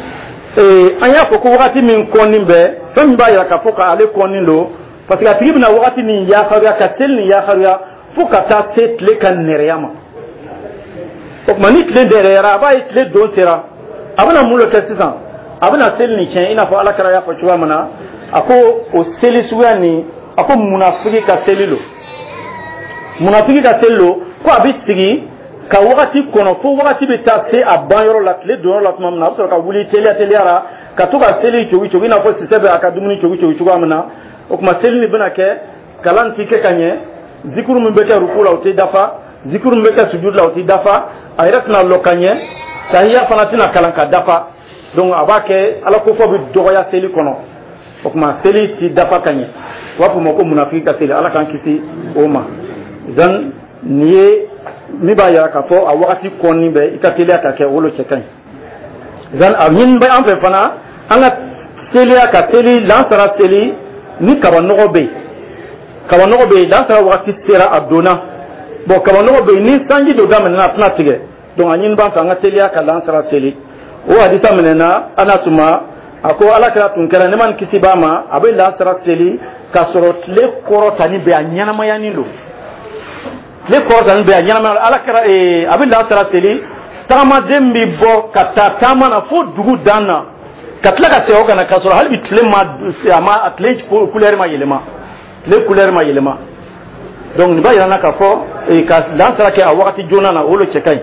an y'a fɔ ko wagati min kɔnni bɛ, fɛn min b'a yira k'a fɔ k'ale kɔnni don, parce que a tigi bɛna wagati min yafaruya ka seli nin yafaruya fo ka taa se tile ka nɛrɛya ma. O tuma ni tile nɛrɛyara, a b'a ye tile don sera, a bɛna mun de kɛ sisan? A bɛna seli nin tiɲɛ, i n'a fɔ Ala kɛra y'a fɔ cogoya min na. A ko o seli suguya nin, a ko munafiki ka seli lo, munafiki ka seli lo, ko a bɛ sigi ka wagati kɔnɔ fo wagati bɛ taa se a ban yɔrɔ la, tile don yɔrɔ la tuma min na, a bɛ sɔrɔ ka wuli teliya teliya la ka to ka seli cogi cogi, i n'a fɔ sisɛ bɛ a ka dumuni cogi cogi cogoya min na. O tuma seli nin bɛna kɛ, kalan ti kɛ ka ɲɛ, zikuru min bɛ kɛ ruku la, o tɛ dafa, zikuru min bɛ kɛ sujud la, o tɛ dafa, a yɛrɛ tɛna lɔ ka ɲɛ, tahiya fana tɛna kalan ka dafa. Donc a b'a kɛ Ala kofɔ bɛ dɔgɔya seli kɔnɔ. O tuma seli ti dafa ka ɲɛ. U b'a fɔ o ma ko munafiki ka seli. Ala k'an kisi o ma. Zan nin ye min b'a yira k'a fɔ a wagati kɔnni bɛ, i ka teliya ka kɛ, o lo cɛ ka ɲi. Zan a ɲini bɛ an fɛ fana, an ka teliya ka seli lansara seli ni kabanɔgɔ bɛ yen. Kabanɔgɔ bɛ yen, lansara wagati sera, a donna, bon, kabanɔgɔ bɛ yen, ni sanji dɔ daminɛna, a tɛna tigɛ. Donc a ɲini b'an fɛ an ka teliya ka lansara seli. O hadisa minɛna Anas ma, a ko Ala kɛra tun kɛra, ne ma ni kisi b'a ma, a bɛ lansara seli k'a sɔrɔ tile kɔrɔtani bɛ, a ɲɛnamayanin don, tile kɔrɔtani bɛ, a ɲɛnamaya. Ala kɛra a bɛ lansara seli, tagamaden bɛ bɔ ka taa taama na fo dugu dan na, ka tila ka segin o ka na, k'a sɔrɔ hali bi tile ma, a ma, tile couleur ma yɛlɛma, tile couleur ma yɛlɛma. Donc nin b'a yira n na k'a fɔ ka lansara kɛ a wagati joona na, o lo cɛ ka ɲi.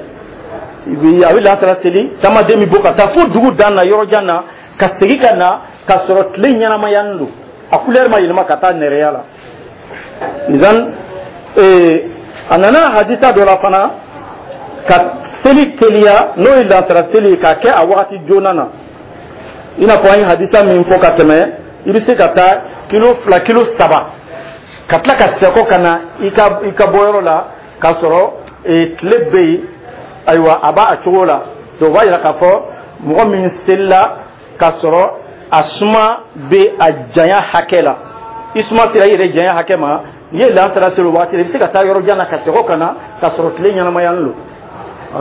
A bɛ lansara seli, taamaden bɛ bɔ ka taa fo dugu dan na, yɔrɔ jan na, ka segin ka na k'a sɔrɔ tile ɲɛnamayanin don. A couleur ma yɛlɛma ka taa nɛrɛya la. Izan ee a nana hadisa dɔ la fana ka seli teliya, n'o ye lansara seli ye, k'a kɛ a wagati joona na, i n'a fɔ an ye hadisa min fɔ ka tɛmɛ. I bɛ se ka taa kilo fila, kilo saba, ka tila ka sɛkɔ ka na i ka i ka bɔyɔrɔ la k'a sɔrɔ tile bɛ yen. Ayiwa, a b'a a cogo la. Donc o b'a yira k'a fɔ mɔgɔ min selila k'a sɔrɔ a suma bɛ a janya hakɛ la, i suma sera i yɛrɛ janya hakɛ ma, n'i ye lansara seli o waati la, i bɛ se ka taa yɔrɔ jan na ka sɛgɔ ka na k'a sɔrɔ tile ɲɛnamayalen don.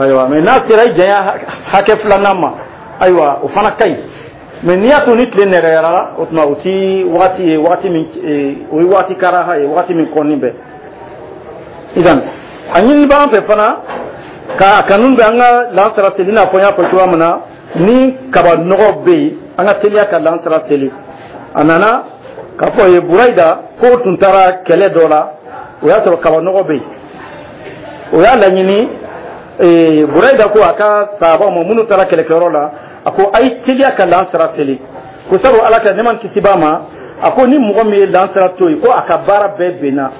Ayiwa, mais n'a sera i janya hakɛ filanan ma, ayiwa, o fana ka ɲi. Mais n'i y'a to ni tile nɛgɛyara, o tuma o ti wagati ye, wagati min o ye wagati karaha ye, wagati min kɔnni bɛ. Idan a ɲini b'an fɛ fana ka kanu bɛ an ka lansara seli, i n'a fɔ n y'a fɔ cogoya min na, ni kaba nɔgɔ bɛ yen, an ka teliya ka lansara seli. A nana k'a fɔ ye Burayida k'o tun taara kɛlɛ dɔ la, o y'a sɔrɔ kaba nɔgɔ bɛ yen. O y'a laɲini, Burayida ko a ka sahabaw ma minnu taara kɛlɛkɛyɔrɔ la, a ko a ye teliya ka lansara seli, ko sabu Ala ka nɛɛma kisi b'a ma, a ko ni mɔgɔ min ye lansara to yen, ko a ka baara bɛɛ benna.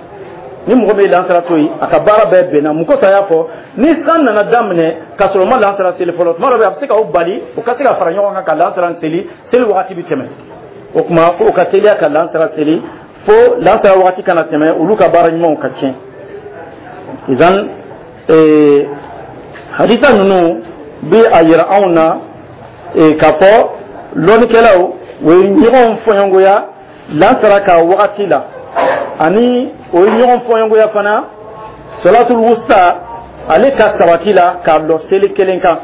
Ni mɔgɔ min ye lansara to yen, a ka baara bɛɛ benna. Mun kosɔn a y'a fɔ? Ni san nana daminɛ k'a sɔrɔ o ma lansara seli fɔlɔ, tuma dɔ bɛ a bɛ se k'aw bali o ka se ka fara ɲɔgɔn kan ka lansara seli, seli wagati bɛ tɛmɛ. O tuma ko o ka teliya ka lansara seli fo lansara wagati kana tɛmɛ, olu ka baara ɲumanw ka tiɲɛ. Izan ee hadisa ninnu bɛ a yira anw na k'a fɔ lɔnnikɛlaw o ye ɲɔgɔn fɔɲɔgɔnya lansara ka wagati la, ani o ye ɲɔgɔn fɔɲɔgɔnya fana sɔlatul wusta ale ka sabati la k'a lɔ seli kelen kan.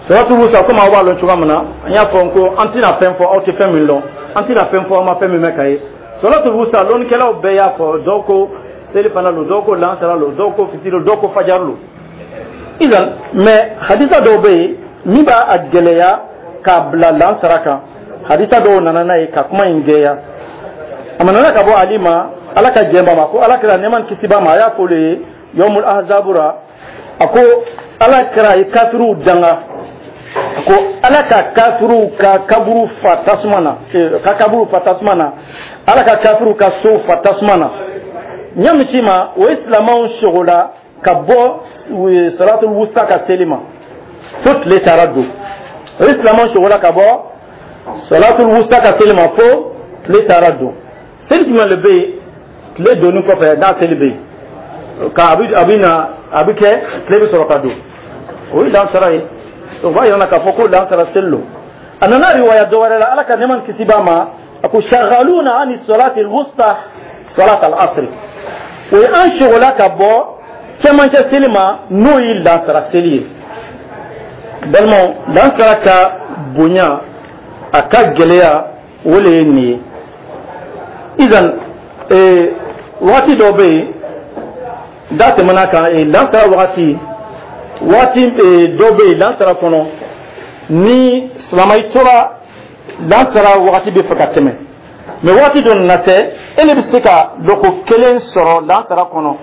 Sɔlatul wusta, komi aw b'a lɔn cogoya min na, an y'a fɔ ko an tɛna fɛn fɔ aw tɛ fɛn min lɔn, an tɛna fɛn fɔ aw ma fɛn min mɛn ka ye. Sɔlatul wusta, lɔnnikɛlaw bɛɛ y'a fɔ, dɔw ko selifana lo, dɔw ko lansara lo, dɔw ko fitiri lo, dɔw ko fajar lo. Idan, mais hadisa dɔw bɛ yen min b'a a gɛlɛya k'a bila lansara kan. Hadisa dɔw nana n'a ye ka kuma in gɛlɛya. A nana ka bɔ Ali ma, Ala ka jɛn ba ma, ko Ala kɛra nɛɛma ni kisi b'a ma, a y'a fɔ olu ye yɔmul ahzabura, a ko Ala kɛra ye kafiriw danga, a ko Ala ka kafiriw ka kaburu fa tasuma na, ka kaburu fa tasuma na, Ala ka kafiriw ka sow fa tasuma na. Ɲamisi ma, o ye silamɛw sogola ka bɔ salatul wusta ka seli ma fo tile taara don. O ye silamɛw sogola ka bɔ salatul wusta ka seli ma fo tile taara don. Seli jumɛn de bɛ yen tile donni kɔfɛ n'a seli bɛ yen ka a bɛ a bɛ na a bɛ kɛ tile bɛ sɔrɔ ka don? O ye lansara ye. O b'a yira k'a fɔ ko lansara seli don. A nana riwaya dɔ wɛrɛ la, Ala ka nɛɛma ni kisi b'a ma, a ko shagaluna ani salati wusta salat al asri, o ye an sogola ka bɔ cɛmancɛ seli ma, n'o ye lansara seli ye. Balimaw, lansara ka bonya, a ka gɛlɛya, o le ye nin ye. Izan ee wagati dɔw bɛ yen da tɛmɛna kan, ee lansara wagati waati dɔw bɛ yen lansara kɔnɔ, ni silamɛ i tora lansara wagati bɛ fɛ ka tɛmɛ, mais wagati dɔ nana kɛ e de bɛ se ka lɔko kelen sɔrɔ lansara kɔnɔ.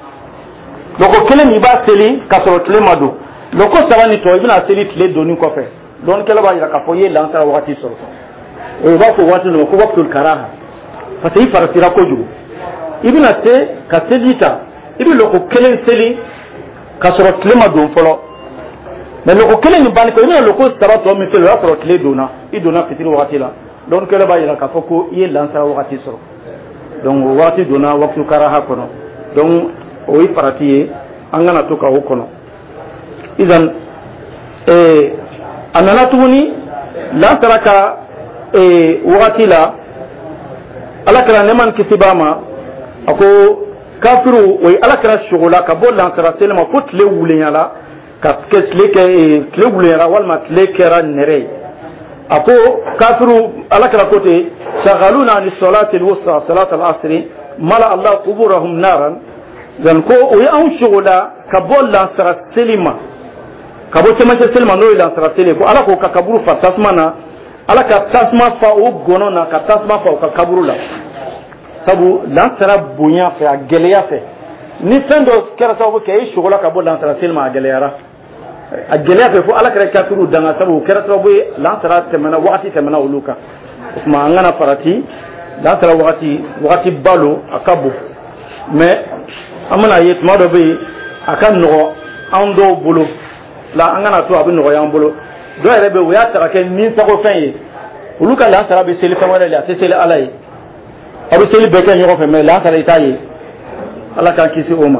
Lɔko kelen min, i b'a seli k'a sɔrɔ tile ma don. Lɔko saba ni tɔ, i bɛna seli tile donni kɔfɛ. Dɔnnikɛla b'a jira k'a fɔ i ye lansara wagati sɔrɔ. O b'a fɔ waati dɔ ma ko waqtul karaha, parce que i faratira kojugu. I bɛna se ka seli ta, i bɛ lɔko kelen seli k'a sɔrɔ tile ma don fɔlɔ, mais lɔko kelen nin banni kɔ, i bɛna lɔko saba tɔ min seli, o y'a sɔrɔ tile donna, i donna fitiri wagati la. Dɔnnikɛla b'a jira k'a fɔ ko i ye lansara wagati sɔrɔ. Donc o wagati donna waqtu karaha kɔnɔ. Donc o ye farati ye, an kana to ka o kɔnɔ. Idan ee a nana tuguni lansara ka ee wagati la, Ala kɛra nɛɛma ni kisi b'a ma, a ko kafiriw o ye Ala kɛra sogola ka bɔ lansara seli ma fo tile wulenyala ka kɛ tile kɛ tile wulenyara walima tile kɛra nɛrɛ ye. A ko kafiriw, Ala kɛra ko ten: shagaluna ani salati alwusta salat al-asri mala Allah quburahum naran. Dan ko o ye anw sogola ka bɔ lansara seli ma, ka bɔ cɛmancɛ seli ma, n'o ye lansara seli ye, ko Ala k'o ka kaburu fa tasuma na, Ala ka tasuma fa o gɔnɔ na, ka tasuma fa o ka kaburu la. Sabu lansara bonya fɛ, a gɛlɛya fɛ, ni fɛn dɔ kɛra sababu kɛ e sogola ka bɔ lansara seli ma, a gɛlɛyara, a gɛlɛya fɛ fo Ala kɛra kafiriw danga, sabu o kɛra sababu ye lansara tɛmɛna, wagati tɛmɛna olu kan. O tuma an kana farati. Lansara wagati, wagati ba lo, a ka bon, mais an bɛna ye tuma dɔ bɛ yen, a ka nɔgɔ an dɔw bolo la. An kana to a bɛ nɔgɔya an bolo. Dɔw yɛrɛ bɛ yen, o y'a ta ka kɛ ni sagofɛn ye. Olu ka lansara bɛ seli fɛn wɛrɛ de, a tɛ seli Ala ye. Aw bɛ seli bɛɛ kɛ ɲɔgɔn fɛ, mais lansara, i t'a ye. Ala k'an kisi o ma,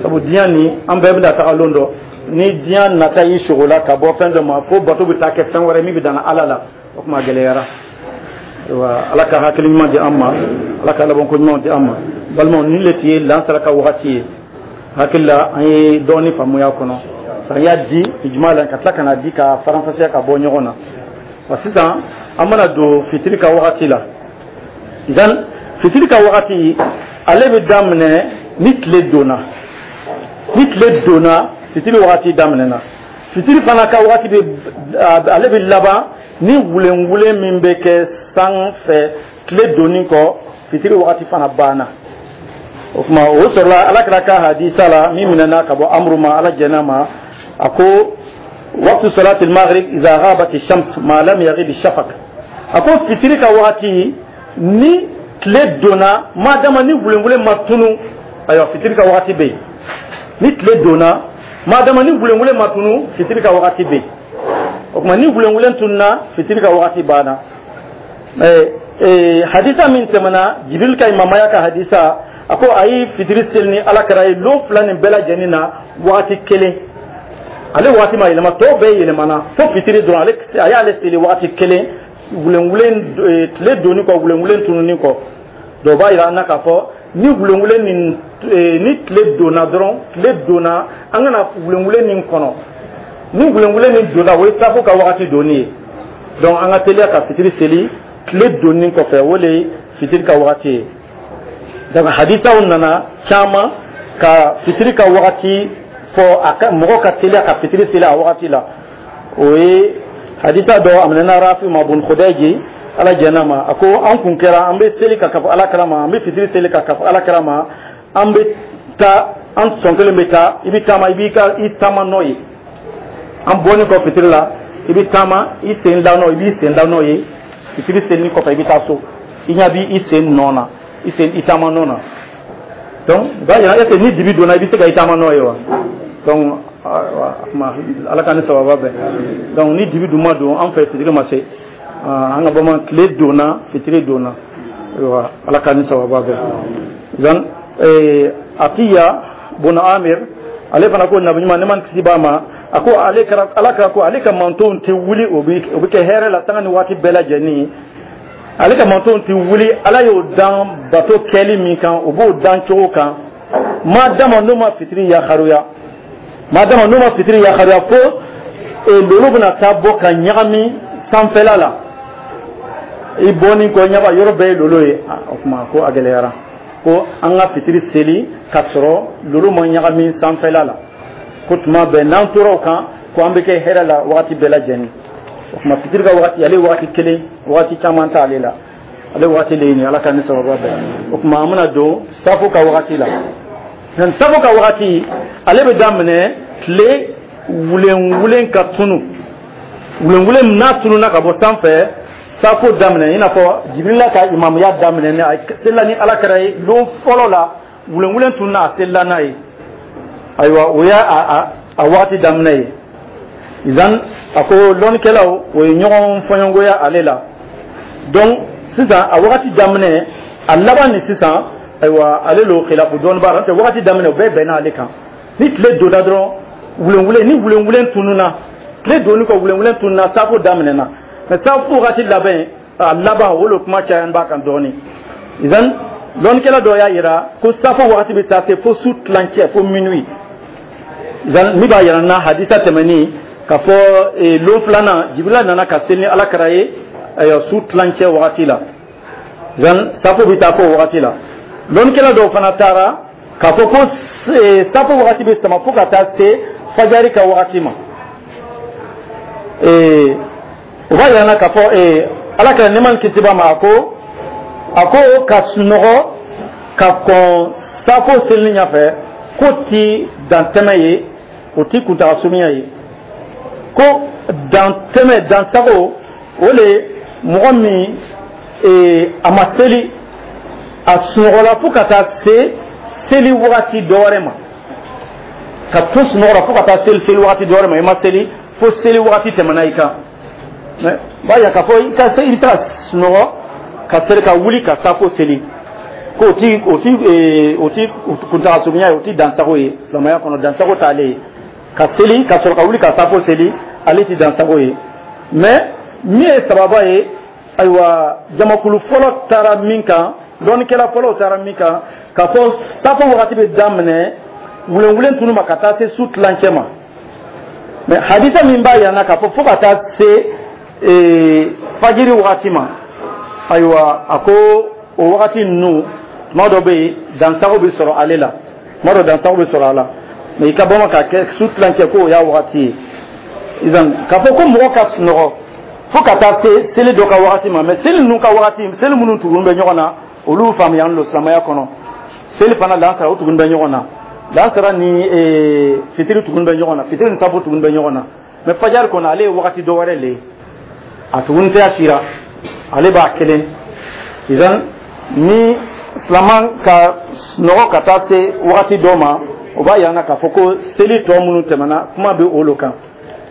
sabu diɲɛ nin, an bɛɛ bɛna taga lon dɔ. Ni diɲɛ nata y'i sogo la ka bɔ fɛn dɔ ma, fo bato bɛ taa kɛ fɛn wɛrɛ min bɛ dan Ala la, o tuma gɛlɛyara. Ayiwa, Ala ka hakili ɲuman di an ma, Ala ka labanko ɲuman di an ma. Balimaw, nin le tun ye lansara ka wagati ye. Hakili la, an ye dɔɔni faamuya kɔnɔ. San y'a di juma la, ka tila ka na di ka faranfasiya ka bɔ ɲɔgɔn na wa. Sisan an bɛna don fitiri ka wagati la. Idan fitiri ka wagati, ale bɛ daminɛ ni tile donna. Ni tile donna, fitiri wagati daminɛna. Fitiri fana ka wagati bɛ, ale bɛ laban ni wulenwulen min bɛ kɛ san fɛ tile donni kɔ, fitiri wagati fana banna. O tuma, o sɔrɔla Alakira ka hadisa la min minɛna ka bɔ Amuru ma, Ala jɛn'a ma, a ko: "Waqtu salati al-maghrib idha ghabat ash-shams ma lam yaghib ash-shafaq." A ko fitiri ka wagati, ni tile donna, madama ni wulenwulen ma tunu, ayiwa, fitiri ka wagati bɛ yen. Ni tile donna, madama ni wulenwulen ma tunu, fitiri ka wagati bɛ yen. O tuma, ni wulenwulen tununa, fitiri ka wagati banna. Hadisa min tɛmɛna, Jibril ka imamaya ka hadisa, a ko a ye fitiri seli ni Ala kɛra ye lon fila nin bɛɛ lajɛlen na wagati kelen. Ale wagati ma yɛlɛma, tɔw bɛɛ yɛlɛmana fo fitiri dɔrɔn. Ale, a y'ale seli wagati kelen, wulenwulen, tile donni kɔ, wulenwulen tununi kɔ. Dɔw b'a yira an na k'a fɔ ni wulenwulen nin, ni tile donna dɔrɔn, tile donna, an kana wulenwulen nin kɔnɔ. Ni wulenwulen nin donna, o ye safo ka wagati donni ye. Donc an ka teliya ka fitiri seli tile donni kɔfɛ, o le ye fitiri ka wagati ye. Donc hadisaw nana caman ka fitiri ka wagati fɔ, a ka mɔgɔ ka teliya ka fitiri seli a wagati la. O ye hadisa dɔ, a minɛna Rafi ma bun Khudayji, Ala jɛn'a ma, a ko an kun kɛra an bɛ seli ka kafo Ala kira ma, an bɛ fitiri seli ka kafo Ala kira ma, an bɛ taa, an sɔn kelen bɛ taa, i bɛ taama, i b'i ka i taama nɔ ye. An bɔlen kɔ fitiri la, i bɛ taama, i sen da nɔ, i b'i sen da nɔ ye. Fitiri selini kɔfɛ, i bɛ taa so, i ɲɛ b'i sen nɔ na, i sen, i taama nɔ na. Donc o b'a yira est ce que ni dibi donna, i bɛ se ka i taama nɔ ye wa? Donc Ala ka ni sababa bɛn. Donc ni dibi dun ma don an fɛ, fitiri ma se. An ka bamanan, tile donna, fitiri donna. Ayiwa, Ala ka ni sababa bɛn. Zan Atiya bun Amir, ale fana ko Nabi ɲuman, ne man kisi b'a ma, a ko ale kɛra Ala kɛra ko ale ka mantonw tɛ wuli, o bɛ o bɛ kɛ hɛrɛ la sanga ni waati bɛɛ lajɛlen. Ale ka mantonw tɛ wuli, Ala y'o dan bato kɛli min kan, o b'o dan cogo kan, ma dama n'o ma fitiri yakaruya, ma dama n'o ma fitiri yakaruya, fo lolo bɛna taa bɔ ka ɲagami sanfɛla la. I bɔni kɔ ɲaga, yɔrɔ bɛɛ ye lolo ye. O tuma ko a gɛlɛyara ko an ka fitiri seli ka sɔrɔ lolo ma ɲagami sanfɛla la. Ko tuma bɛɛ n'an tora o kan, ko an bɛ kɛ hɛrɛ la wagati bɛɛ lajɛlen. O tuma fitiri ka wagati, ale wagati kelen, wagati caman t'ale la, ale wagati le ye nin. Ala ka ni sababa bɛɛ. O tuma an bɛna don safo ka wagati la. Safo ka wagati, ale bɛ daminɛ tile wulenwulen ka tunu. Wulenwulen n'a tununa ka bɔ sanfɛ, safo daminɛ, i n'a fɔ Jibirila ka imamuya daminɛ ni a selila ni Ala kɛra ye lon fɔlɔ la, wulenwulen tununa, a selila n'a ye. Ayiwa, o y'a a a wagati daminɛ ye. Izan a ko lɔnnikɛlaw, o ye ɲɔgɔn fɔɲɔgɔnya ale la. Donc sisan a wagati daminɛ, a laban ni sisan, ayiwa, ale lo khilafu dɔɔni b'a la. N'o tɛ, wagati daminɛ, o bɛɛ bɛnna ale kan. Ni tile donna dɔrɔn, wulenwulen, ni wulenwulen tununa tile donni kɔ, wulenwulen tununa, safo daminɛna. Mais safo wagati labɛn, a laban, o le kuma caya b'a kan dɔɔni. Izan lɔnnikɛla dɔ y'a yira ko safo wagati bɛ taa se fo su tilancɛ, fo minuit. Izan min b'a yira na, hadisa tɛmɛni k'a fɔ lon filanan, Jibirila nana ka seli ni Ala kɛra ye, ayiwa, su tilancɛ wagati la. Izan safo bɛ taa fo o wagati la. Lɔnnikɛla dɔw fana taara k'a fɔ ko safo wagati bɛ sama fo ka taa se fajari ka wagati ma. O b'a yira na k'a fɔ Ala kɛra nɛɛma ni kisi b'a ma, a ko a ko ka sunɔgɔ ka kɔn safo selini ɲɛfɛ, ko ti dantɛmɛ ye, o ti kuntaga surunya ye. Ko dantɛmɛ, dansago, o le mɔgɔ min A ma seli, a sunɔgɔla fo ka taa se seli wagati dɔ wɛrɛ ma, ka to sunɔgɔ la fo ka taa seli seli wagati dɔ wɛrɛ ma, i ma seli fo seli wagati tɛmɛna i kan. Mais b'a yira k'a fɔ i ka se, i bɛ se ka sunɔgɔ ka seli, ka wuli ka safo seli, k'o ti o ti o ti kuntaga surunya ye, o ti dansago ye silamɛya kɔnɔ. Dansago t'ale ye ka seli ka sɔrɔ ka wuli ka safo seli, ale ti dansago ye. Mais min ye sababa ye, ayiwa, jamakulu fɔlɔ taara min kan, dɔnnikɛla fɔlɔw taara min kan, k'a fɔ safo wagati bɛ daminɛ wulenwulen tunu ma ka taa se su tilancɛ ma. Mais hadisa min b'a yira n na k'a fɔ fo ka taa se fajiri wagati ma, ayiwa, a ko o wagati ninnu, tuma dɔ bɛ yen, dansago bɛ sɔrɔ ale la, tuma dɔ dansago bɛ sɔrɔ a la. Mais i ka bɔ ma ka kɛ su tilancɛ, k'o y'a wagati ye. Izan k'a fɔ ko mɔgɔ ka sunɔgɔ fo ka taa se seli dɔ ka wagati ma, mais seli ninnu ka wagati, seli minnu tugun bɛ ɲɔgɔn na, olu faamuyalen don silamɛya kɔnɔ. Seli fana, lansara, o tugun bɛ ɲɔgɔn na, lansara ni fitiri tugun bɛ ɲɔgɔn na, fitiri ni safo tugun bɛ ɲɔgɔn na. Mais fajari kɔnɔ, ale ye wagati dɔ wɛrɛ le ye, a tugun tɛ a sira, ale b'a kelen. Izan ni silaman ka sunɔgɔ ka taa se wagati dɔ ma, o b'a yira k'a fɔ ko seli tɔ minnu tɛmɛna, kuma bɛ olu kan,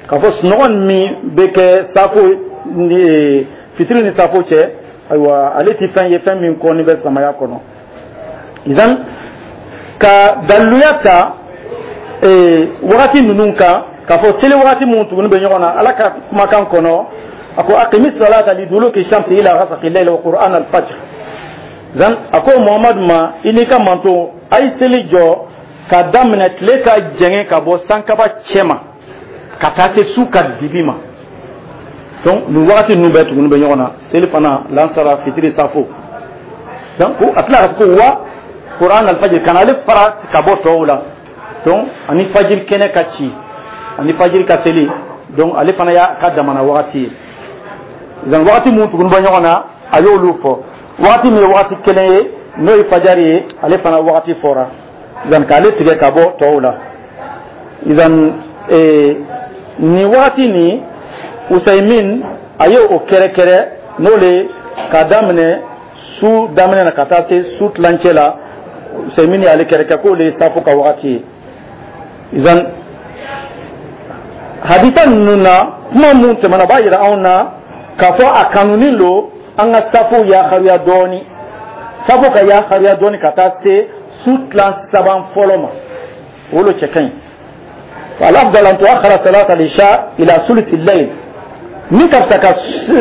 k'a fɔ sunɔgɔ min bɛ kɛ safo ni fitiri ni safo cɛ, ayiwa, ale ti fɛn ye, fɛn min kɔni bɛ silamɛya kɔnɔ. Izan ka daliluya ta wagati ninnu kan, k'a fɔ seli wagati minnu tuguni bɛ ɲɔgɔn na, Ala ka kumakan kɔnɔ, a ko: "Aqimi salata liduluki shamsi ila ghasaqi layli wa qur'an al-fajr." Zan a ko Muhamadu ma, i n'i ka manto, a ye seli jɔ ka daminɛ tile ka jɛngɛ ka bɔ sankaba cɛ ma ka taa se su ka dibi ma. Donc nin wagati ninnu bɛɛ tuguni bɛ ɲɔgɔn na, seli fana, lansara, fitiri, safo. Donc ko a tila ka ko wa qur'an al-fajr, kana ale fara ka bɔ tɔw la. Donc ani fajiri kɛnɛ ka ci, ani fajiri ka seli, donc ale fana y'a ka damana wagati ye. Donc wagati mun tuguni bɛ ɲɔgɔn na, a y'olu fɔ. Wagati min ye wagati kelen ye, n'o ye fajari ye, ale fana wagati fɔra, donc k'ale tigɛ ka bɔ tɔw la. Idan nin wagati nin, Usaymin a ye o kɛrɛkɛrɛ, n'o le k'a daminɛ su daminɛ na ka taa se su tilancɛ la. Usaymin y'ale kɛrɛkɛ k'o le ye safo ka wagati ye. Idan hadisa ninnu na, kuma mun tɛmɛna, o b'a yira anw na k'a fɔ a kanunin lo an ka safo yakariya dɔɔni, safo ka yakariya dɔɔni ka taa se su tilan saban fɔlɔ ma, o lo cɛ ka ɲi. الأفضل أن تؤخر صلاة العشاء إلى ثلث الليل، min ka fisa ka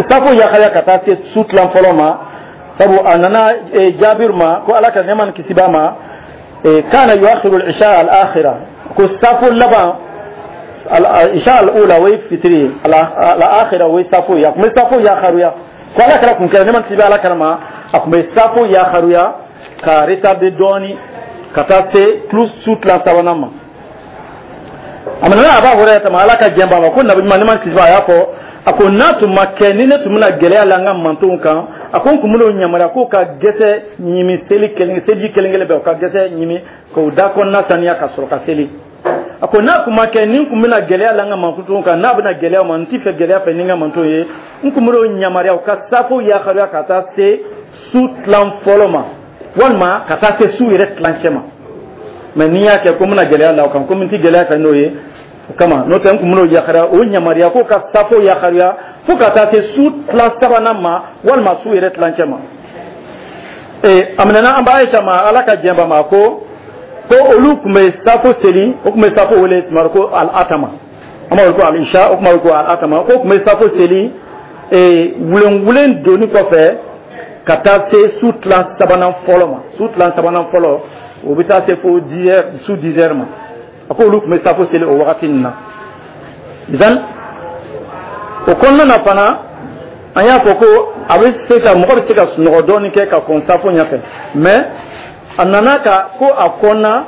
safo yakariya ka taa se su tilan fɔlɔ ma, sabu a nana Jabir ma ko, Ala ka nɛɛma ni kisi b'a ma, كان يؤخر العشاء الآخرة, ko safo laban, العشاء الأولى, o ye fitiri ye, الآخرة, o ye safo ye, a tun bɛ safo yakariya, ko Ala kɛra kun kɛra, nɛɛma ni kisi bɛ Ala kɛra ma, a tun bɛ safo yakariya ka retarder dɔɔni ka taa se plus su tilan sabanan ma. A nana Aba Hurayra ma, Ala ka jɛn b'a ma, ko Nabi ɲuman, nɛɛma ni kisi b'a, a y'a fɔ, a ko n'a tun ma kɛ ni ne tun bɛna gɛlɛya la n ka mantonw kan, a ko n tun bɛn'o yamaruya k'o ka gɛsɛ ɲimi seli kelen, seliji kelen kelen bɛɛ, o ka gɛsɛ ɲimi k'o da kɔnɔna saniya ka sɔrɔ ka seli. A ko n'a tun ma kɛ ni n tun bɛna gɛlɛya la n ka mantonw kan, n'a bɛna gɛlɛya ma, n ti fɛ gɛlɛya fɛ ni n ka mantonw ye, n tun bɛn'o yamaruya u ka safo yakariya ka taa se su tilan fɔlɔ ma, walima ka taa se su yɛrɛ tilancɛ ma. Mais n'i y'a kɛ ko n bɛna gɛlɛya la o kan, komi n ti gɛlɛya fɛ n'o ye, o kama, n'o tɛ, n tun bɛn'o yakariya, o yamaruya k'o ka safo yakariya fo ka taa se su tilan sabanan ma, walima su yɛrɛ tilancɛ ma. Ee, a minɛna an ba Ayisa ma, Ala ka jɛn ba ma, ko ko olu tun bɛ safo seli, o tun bɛ safo wele tuma dɔ ko al atama, an b'a wele ko al isha, o tun b'a wele ko al atama, ko tun bɛ safo seli ee wulenwulen donni kɔfɛ ka taa se su tilan sabanan fɔlɔ ma. Su tilan sabanan fɔlɔ, o bɛ taa se fo dix heures, su dix heures ma. A ko olu tun bɛ safo seli o wagati nin na. Idan o kɔnɔna na fana, an y'a fɔ ko a bɛ se ka, mɔgɔ bɛ se ka sunɔgɔ dɔɔni kɛ ka kɔn safo ɲɛfɛ. Mais a nana ka ko a kɔnna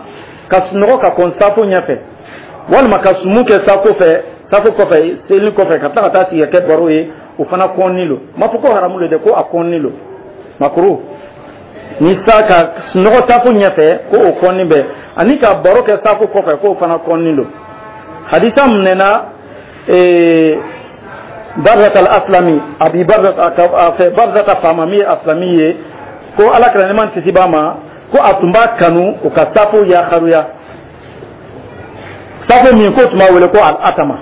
ka sunɔgɔ ka kɔn safo ɲɛfɛ, walima ka sumu kɛ safo fɛ, safo kɔfɛ, seli kɔfɛ, ka tila ka taa sigi ka kɛ baro ye, o fana kɔnni lo. N m'a fɔ ko haramu lo dɛ, ko a kɔnni lo, makuru ni sa ka sunɔgɔ safo ɲɛfɛ, ko o kɔnni bɛ, ani ka baro kɛ safo kɔfɛ, k'o fana kɔnni lo. Hadisa minɛna ee Barzata al-Aslami, Abi Barzata a fɛ, Barzata faama min ye Aslami ye, ko Ala kira, nɛɛma kisi b'a ma, ko a tun b'a kanu o ka safo yakariya, safo min ko tun b'a wele ko al-atama.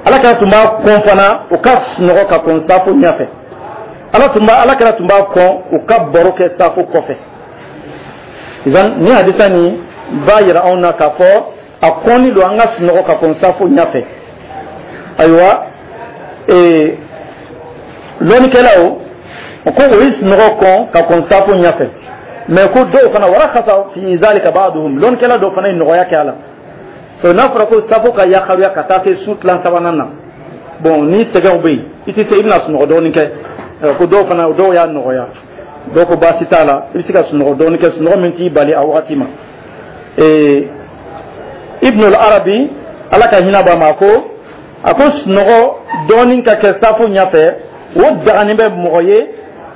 Ala kira tun b'a kɔn fana o ka sunɔgɔ ka kɔn safo ɲɛfɛ. Ala tun b'a, Ala kira tun b'a kɔn o ka baro kɛ safo kɔfɛ. Idan ni hadisa nin b'a yira anw na k'a fɔ a kɔnni don an ka sunɔgɔ ka kɔn safo ɲɛfɛ. Ayiwa, ee lɔnnikɛlaw o ko o ye sunɔgɔ kɔn ka kɔn safo ɲɛfɛ, mais ko dɔw fana ورخص في ذلك بعضهم, lɔnnikɛla dɔw fana ye nɔgɔya kɛ a la. So n'a fɔra ko safo ka yakaruya ka taa se su tilan sabanan na, bon, ni sɛgɛnw bɛ yen, i tɛ se, i bɛna sunɔgɔ dɔɔnin kɛ. Ko dɔw fana, dɔw y'a nɔgɔya, dɔw ko baasi t'a la, i bɛ se ka sunɔgɔ dɔɔnin kɛ, sunɔgɔ min t'i bali a wagati ma. Ee Ibn al-Arabi, Ala ka hinɛ b'a ma, ko a ko sunɔgɔ dɔɔnin ka kɛ safo ɲɛfɛ, o daganin bɛ mɔgɔ ye,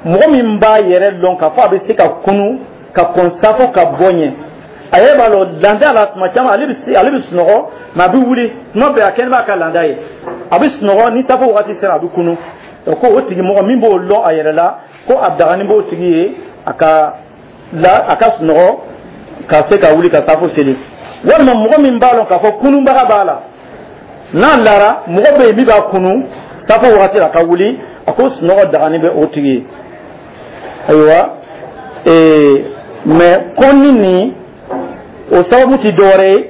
mɔgɔ min b'a yɛrɛ lɔn k'a fɔ a bɛ se ka kunu ka kɔn safo ka bɔ ɲɛ. A yɛrɛ b'a lɔn landa la, tuma caman ale bɛ se, ale bɛ sunɔgɔ, mais a bɛ wuli tuma bɛɛ, a kɛlen b'a ka landa ye, a bɛ sunɔgɔ, ni safo wagati sera, a bɛ kunu. Ko o tigi mɔgɔ min b'o lɔn a yɛrɛ la, ko a daganin b'o tigi ye a ka la, a ka sunɔgɔ ka se ka wuli ka safo seli. Walima mɔgɔ min b'a lɔn k'a fɔ kununbaga b'a la, n'a lara, mɔgɔ bɛ yen min b'a kunu safo wagati la ka wuli, a ko sunɔgɔ daganin bɛ o tigi ye. Ayiwa, ee mais kɔnni nin, o sababu ti dɔwɛrɛ ye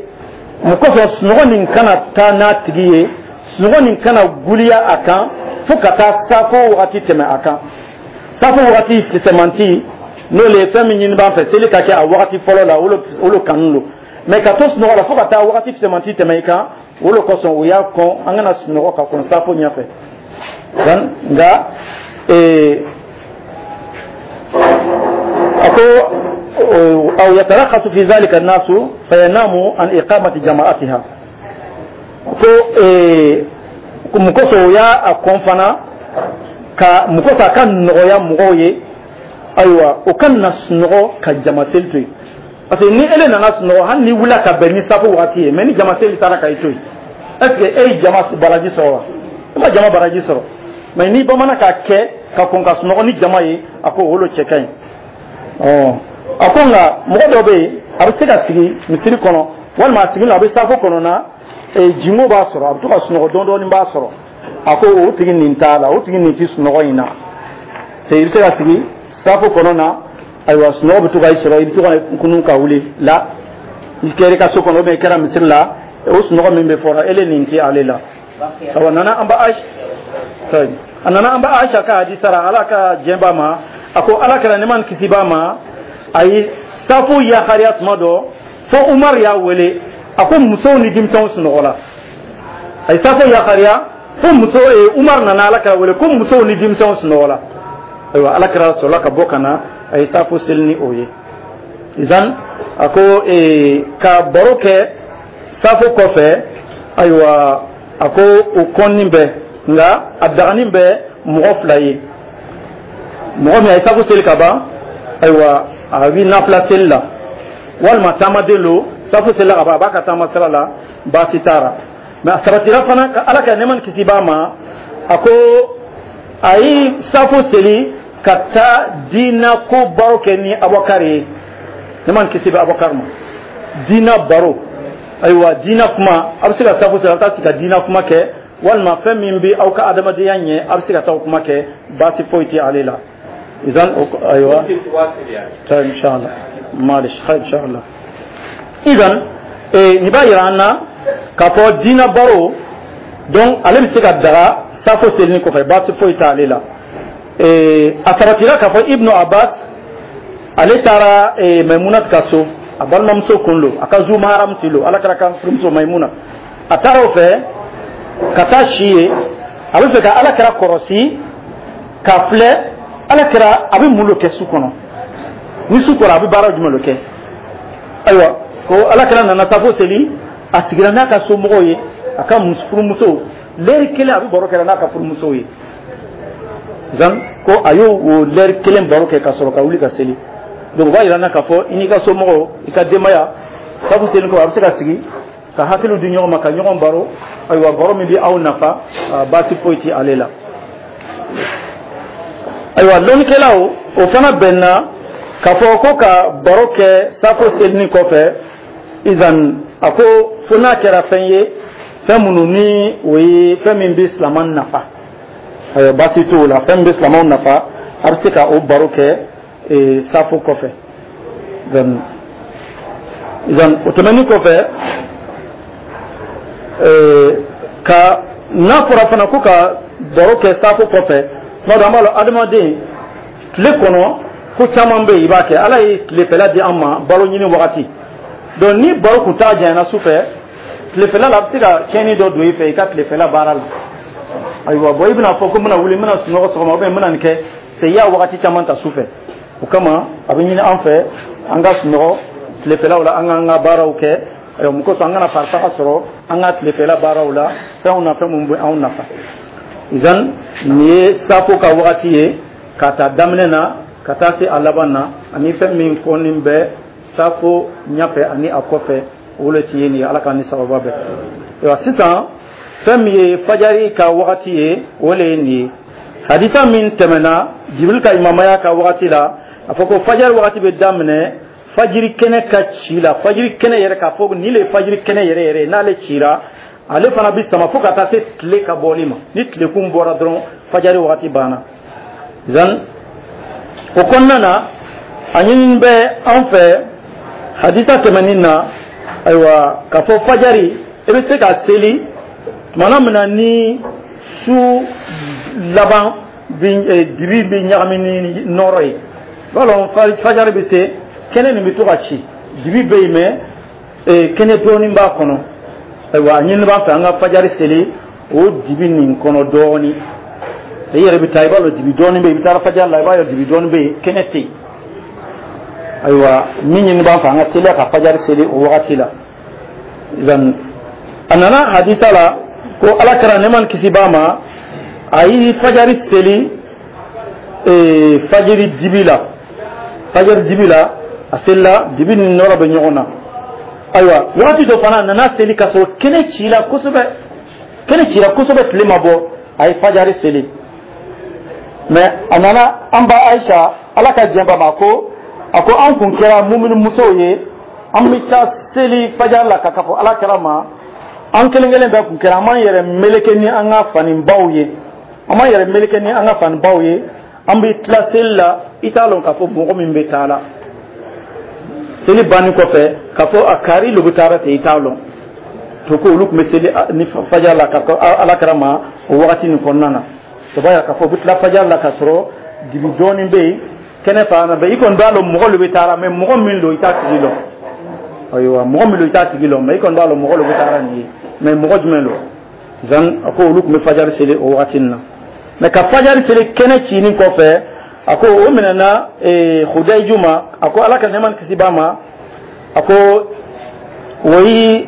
mun kosɔn sunɔgɔ nin kana taa n'a tigi ye, sunɔgɔ nin kana guliya a kan fo ka taa safo wagati tɛmɛ a kan. Safo wagati fisɛmanti, n'o le ye fɛn min ɲini b'an fɛ, seli ka kɛ a wagati fɔlɔ la, o lo kanu don. Mais ka to sunɔgɔ la fo ka taa wagati fisɛmanti tɛmɛ i kan, o le kosɔn o y'a kɔn an kana sunɔgɔ ka kɔn safo ɲɛfɛ. Nka ee a ko أو يترخص في ذلك الناس فيناموا عن إقامة جماعتها, ko mun kosɔn o y'a a kɔn fana ka mun kosɔn a ka nɔgɔya mɔgɔw ye, ayiwa, o ka na sunɔgɔ ka jama seli to yen, parce que ni ele nana sunɔgɔ, hali ni wulila ka bɛn ni safo wagati ye, mais ni jama seli taara ka i to yen, est ce que e ye jama baraji sɔrɔ wa? E ma jama baraji sɔrɔ. Mais ni bamanan k'a kɛ ka kɔn ka sunɔgɔ ni jama ye, a ko o lo cɛ ka ɲi. Ɔ a ko nka mɔgɔ dɔ bɛ yen, a bɛ se ka sigi misiri kɔnɔ, walima a sigilen a bɛ safo kɔnɔ na, jingo b'a sɔrɔ, a bɛ to ka sunɔgɔ dɔɔni dɔɔni b'a sɔrɔ. A ko o tigi nin t'a la, o tigi nin ti sunɔgɔ in na. C'est i bɛ se ka sigi safo kɔnɔ na, ayiwa, sunɔgɔ bɛ to ka i sɔrɔ, i bɛ to ka kunun ka wuli la, i kɛra i ka so kɔnɔ, ou bien i kɛra misiri la, o sunɔgɔ min bɛ fɔra ele nin ti ale la. Awa, nana an ba Aisha, a nana an ba Aisha ka hadisa la, Ala ka diɲɛ b'a ma, a ko Ala kɛra, nɛɛma ni kisi b'a ma, a ye safo yakariya tuma dɔ fo Umar y'a wele, a ko musow ni denmisɛnw sunɔgɔ la. A ye safo yakariya fo muso, Umar nana Ala kɛra wele ko musow ni denmisɛnw sunɔgɔ la. Ayiwa, Ala kɛra sɔrɔla ka bɔ ka na, a ye safo seli ni o ye. Izan a ko ka baro kɛ safo kɔfɛ, ayiwa, a ko o kɔnni bɛ, nka a daganin bɛ mɔgɔ fila ye: mɔgɔ min a ye safo seli ka ban, ayiwa, a bɛ nafila seli la, walima taamaden lo, safo selila ka ban, a b'a ka taama sira la, baasi t'a la. Mais a sabatira fana ka Ala ka nɛɛma ni kisi b'a ma, a ko a ye safo seli ka taa diina ko baro kɛ ni Abubakar ye, nɛɛma ni kisi bɛ Abubakar ma. Diina baro, ayiwa, diina kuma, a bɛ se ka safo seli, a bɛ taa sigi ka diina kuma kɛ, walima fɛn min bɛ aw ka adamadenya ɲɛ, a bɛ se ka taa o kuma kɛ, baasi foyi tɛ ale la. إذن أيوة، طيب، إن شاء الله، معلش، خير إن شاء الله. إذن nin b'a yira an na k'a fɔ diina baro donc ale bɛ se ka daga safo selini kɔfɛ, baasi foyi t'ale la. A sabatira k'a fɔ Ibnu Abbas, ale taara Maimuna ka so, a balimamuso kun lo, a ka zu maharam ti lo, Ala kɛra ka furumuso Maimuna, a taara o fɛ ka taa si ye. A bɛ fɛ ka Ala kɛra kɔrɔsi k'a filɛ, Ala kɛra a bɛ mun lo kɛ su kɔnɔ, ni su kɔrɔ, a bɛ baara jumɛn lo kɛ. Ayiwa, ko Ala kɛra nana safo seli, a sigira n'a ka somɔgɔw ye, a ka furumuso, lɛri kelen a bɛ baro kɛra n'a ka furumusow ye. Zan ko a y'o o lɛri kelen baro kɛ ka sɔrɔ ka wuli ka seli. Donc o b'a yira n na k'a fɔ i n'i ka somɔgɔw, i ka denbaya, safo seli kɔ, a bɛ se ka sigi. Ka hakiliw di ɲɔgɔn ma, ka ɲɔgɔn baro. Ayiwa, baro min bɛ aw nafa, baasi foyi tɛ ale la. Ayiwa, lɔnnikɛlaw o fana bɛnna k'a fɔ ko ka baro kɛ safo selini kɔfɛ, izan a ko fo n'a kɛra fɛn ye, fɛn minnu ni o ye fɛn min bɛ silamɛ nafa. Ayiwa, baasi t'o la. Fɛn min bɛ silamɛw nafa, a bɛ se ka o baro kɛ safo kɔfɛ. Izan o tɛmɛnen kɔfɛ, ka n'a fɔra fana ko ka baro kɛ safo kɔfɛ, tuma dɔ an b'a lɔn, adamaden tile kɔnɔ ko caman bɛ yen i b'a kɛ. Ala ye tilefɛla di an ma balo ɲini wagati. Donc ni baro kun t'a janyana su fɛ, tilefɛla la a bɛ se ka tiɲɛni dɔ don i fɛ i ka tilefɛla baara la. Ayiwa, bon, i bɛna fɔ ko n bɛna wuli, n bɛna sunɔgɔ sɔgɔma, ou bien n bɛna nin kɛ, c'est i y'a wagati caman ta su fɛ. O kama a bɛ ɲini an fɛ an ka sunɔgɔ tilefɛlaw la, an k'an ka baaraw kɛ. Ayiwa, mun kosɔn an kana farifaga sɔrɔ an ka tilefɛla baaraw la, fɛnw na, fɛn minnu bɛ anw nafa? Izan nin ye safo ka wagati ye, ka taa daminɛ na ka taa se a laban na, ani fɛn min kɔni bɛ safo ɲɛfɛ ani a kɔfɛ, o le ti ye nin ye. Ala k'an ni sababa bɛn. Ayiwa, sisan fɛn min ye fajari ka wagati ye, o le ye nin ye. Hadisa min tɛmɛna Jibril ka imamaya ka wagati la, a fɔ ko fajari wagati bɛ daminɛ fajiri kɛnɛ ka ci la. Fajiri kɛnɛ yɛrɛ, k'a fɔ nin le ye fajiri kɛnɛ yɛrɛ yɛrɛ, n'ale cira, ale fana bɛ sama fo ka taa se tile ka bɔli ma. Ni tilekun bɔra dɔrɔn, fajari wagati banna. Zan o kɔnɔna na, a ɲini bɛ an fɛ hadisa tɛmɛnin na, ayiwa, k'a fɔ fajari i bɛ se ka seli tumana min na ni su laban bi dibi bɛ ɲagami ni nɔrɔ ye. B'a lɔn, fajari bɛ se, kɛnɛ nin bɛ to ka ci, dibi bɛ yen, mɛ kɛnɛ dɔɔnin b'a kɔnɔ. Ayiwa, a ɲini b'an fɛ an ka fajari seli o dibi nin kɔnɔ dɔɔnin. I yɛrɛ bɛ taa, i b'a dɔn dibi dɔɔnin bɛ yen. I bɛ taa fajari la, i b'a ye dibi dɔɔnin bɛ yen, kɛnɛ tɛ yen. Ayiwa, min ɲini b'an fɛ, an ka teliya ka fajari seli o wagati la. A nana hadisa la ko Ala kɛra, nɛɛma ni kisi b'a ma, a ye fajari seli fajiri dibi la. Fajari dibi la a selila, dibi ni nɔrɔ bɛ ɲɔgɔn na. Ayiwa, wagati dɔ fana a nana seli ka sɔrɔ kɛnɛ cila kosɛbɛ, kɛnɛ cira kosɛbɛ, tile ma bɔ, a ye fajari seli. Mɛ a nana an ba Ayisa, Ala ka diɲɛ ba ma, ko a ko an kun kɛra mumini musow ye, an bɛ taa seli fajari la ka ka fɔ Ala kɛra ma. An kelen kelen bɛɛ kun kɛra, an b'an yɛrɛ meleke ni an ka fanibaw ye, an b'an yɛrɛ meleke ni an ka fanibaw ye. An bɛ tila seli la, i t'a lɔn k'a fɔ mɔgɔ min bɛ taa la seli banni kɔfɛ, k'a fɔ a kari lo bɛ taara se, i t'a lɔn. To ko olu tun bɛ seli ni fajari la ka Ala kɛra ma o wagati nin kɔnɔna na. O b'a yira k'a fɔ u bɛ tila fajari la ka sɔrɔ dibi dɔɔnin bɛ yen, kɛnɛ fana bɛ. I kɔni b'a lɔn mɔgɔ lo bɛ taara, mɛ mɔgɔ min don, i t'a tigi lɔn. Ayiwa, mɔgɔ min don, i t'a tigi lɔn, mɛ i kɔni b'a lɔn mɔgɔ lo bɛ taara nin ye, mɛ mɔgɔ jumɛn don? Zan a ko olu tun bɛ fajari seli o wagati nin na. Mɛ ka fajari seli kɛnɛ cinin kɔfɛ, a ko o minɛna Hudayiju ma. A ko Ala ka nɛɛma ni kisi b'a ma, a ko o yi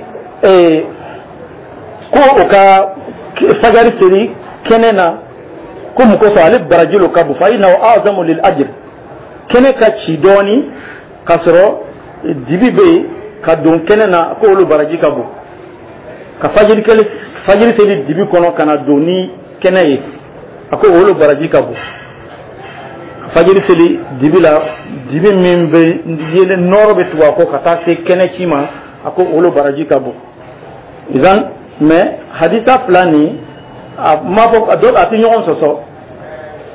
ko o ka fajari seli kɛnɛ na, ko mun kosɔn? Ale baraji lo ka bon. Fa innahu a'zamu lil ajr. Kɛnɛ ka ci dɔɔni k'a sɔrɔ dibi bɛ yen, ka don kɛnɛ na, ko olu baraji ka bon. Ka fajiri kɛlɛ, fajiri seli dibi kɔnɔ ka na don ni kɛnɛ ye, a ko olu baraji ka bon. Fajiri seli dibi la, dibi min bɛ yelen, nɔrɔ bɛ tugu a kɔ ka taa se kɛnɛ ci ma, a ko olu baraji ka bon. Izan mɛ hadisa fila nin, a ma fɔ a dɔ a tɛ ɲɔgɔn sɔsɔ.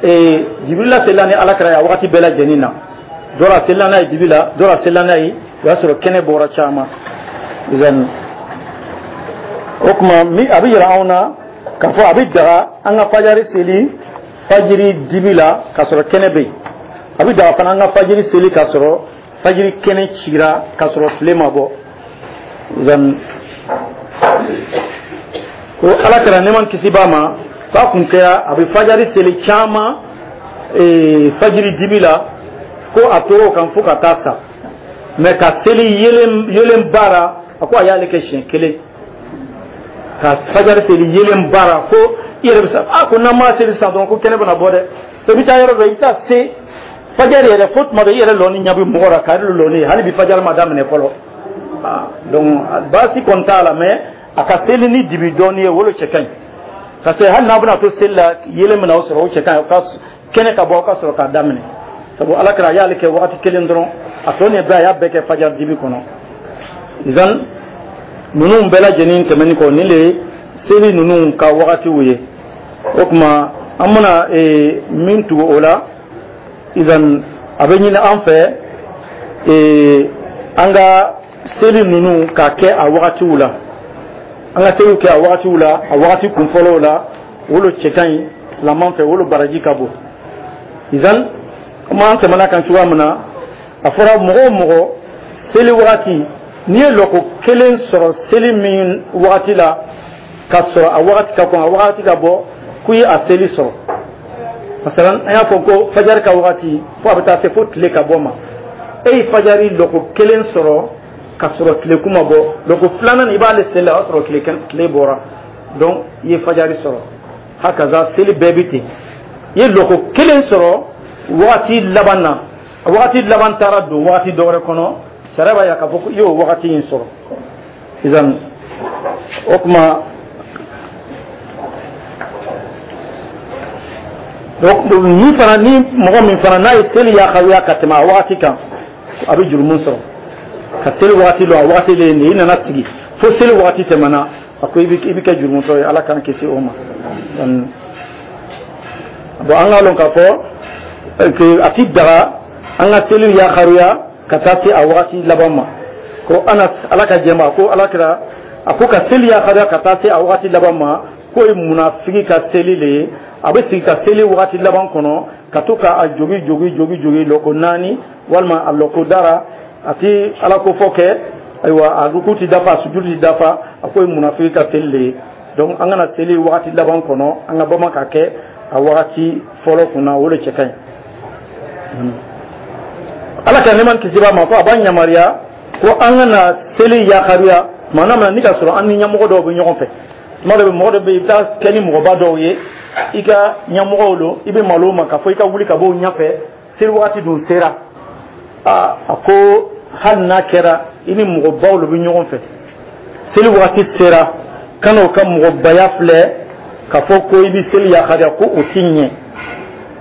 Ee Jibirila selila ni Ala kɛra ye a wagati bɛɛ lajɛlen na. Dɔ a selila n'a ye dibi la, dɔ a selila n'a ye o y'a sɔrɔ kɛnɛ bɔra caman. Izan o tuma min a bɛ yira anw na k'a fɔ a bɛ daga an ka fajari seli fajiri dibi la k'a sɔrɔ kɛnɛ bɛ yen. A bɛ daga fana an ka fajiri seli k'a sɔrɔ fajiri kɛnɛ cira, k'a sɔrɔ tile ma bɔ. Zan ko Ala kɛra, nɛɛma kisi b'a ma, k'a kun kɛra a bɛ fajari seli caman fajiri dibi la, ko a tora o kan fo ka taa sa. Mɛ ka seli yelen yelen baara, a ko a y'ale kɛ siɲɛ kelen ka fajari seli yelen baara. Ko i yɛrɛ bɛ sa, a ko n'an m'a seli sisan dɔrɔn, ko kɛnɛ bɛna bɔ dɛ. I bɛ taa yɔrɔ dɔ, i bɛ taa se fajari yɛrɛ fo tuma dɔ i yɛrɛ lɔni ɲɛ bɛ mɔgɔ la, kari lɔni, hali bi fajari ma daminɛ fɔlɔ. Donc baasi kɔni t'a la, mais a ka seli ni dibi dɔɔni ye, o le cɛ ka ɲi, parce que hali n'a bɛna to seli la, yelen bɛna o sɔrɔ, o cɛ ka ɲi, ka kɛnɛ ka bɔ, aw ka sɔrɔ k'a daminɛ, sabu Ala kɛra a y'ale kɛ wagati kelen dɔrɔn, a tɔ nin bɛɛ, a y'a bɛɛ kɛ fajar dibi kɔnɔ. Izan ninnu bɛɛ lajɛlen tɛmɛni kɔ, nin le ye seli ninnu ka wagatiw ye. O tuma an bɛna min tugu o la, izan a bɛ ɲini an fɛ an ka seli ninnu ka kɛ a wagatiw la, an ka seliw kɛ a wagatiw la, a wagati kunfɔlɔw la. O lo cɛ ka ɲi silaman fɛ, o lo baraji ka bon. Izan komi an tɛmɛna kan cogoya min na, a fɔra mɔgɔ o mɔgɔ seli wagati, n'i ye lɔko kelen sɔrɔ seli min wagati la, ka sɔrɔ a wagati ka kɔn, a wagati ka bɔ, k'i ye a seli sɔrɔ. Masalan, an y'a fɔ ko fajari ka wagati fo a bɛ taa se fo tile ka bɔ ma, e ye fajari lɔko kelen sɔrɔ ka sɔrɔ tile kun ma bɔ, lɔko filanan i b'ale seli la, o y'a sɔrɔ tile tile bɔra, donc i ye fajari sɔrɔ. Hakaza seli bɛɛ bi ten, i ye lɔko kelen sɔrɔ wagati laban na, wagati laban taara don wagati dɔ wɛrɛ kɔnɔ, sariya b'a yira k'a fɔ ko i y'o wagati in sɔrɔ. Izan o tuma min fana ni mɔgɔ min fana n'a ye seli yakaruya ka tɛmɛ a wagati kan, a bɛ jurumu sɔrɔ. Ka seli wagati lɔ, a wagati le ye nin ye, i nana sigi fo seli wagati tɛmɛna, a ko i bɛ i bɛ kɛ jurumutɔ ye. Ala k'an kisi o ma. Bon, an k'a lɔn k'a fɔ a ti daga an ka seli yakaruya ka taa se a wagati laban ma. Ko ana Ala ka jɛma ko Ala kira a ko ka seli yakaruya ka taa se a wagati laban ma, k'o ye munafigi ka seli le ye. A bɛ sigi ka seli wagati laban kɔnɔ, ka to k'a jogi jogi jogi jogi lɔko naani walima a lɔko dara, a ti Ala ko fɔ kɛ, ayiwa, a ruku ti dafa, a sujudu ti dafa. A k'o ye munafigi ka seli le ye. Donc an kana seli wagati laban kɔnɔ, an ka bama ka kɛ a wagati fɔlɔ kunna, o de cɛ ka ɲi. Ala ka nɛɛma kisi b'a ma ko a b'an yamaruya ko an kana seli yakaruya tuma na ni ka sɔrɔ an ni ɲɛmɔgɔ dɔw bɛ ɲɔgɔn fɛ. Tuma dɔ bɛ mɔgɔ dɔ bɛ yen, i bɛ taa kɛ ni mɔgɔba dɔw ye, i ka ɲɛmɔgɔw don, i bɛ malo ma k'a fɔ i ka wuli ka bɔ o ɲɛfɛ, seli wagati dun sera. Aa, a ko hali n'a kɛra i ni mɔgɔbaw de bɛ ɲɔgɔn fɛ, seli wagati sera, kan'o ka mɔgɔbaya filɛ k'a fɔ ko i bɛ seli yakaruya, ko o ti ɲɛ.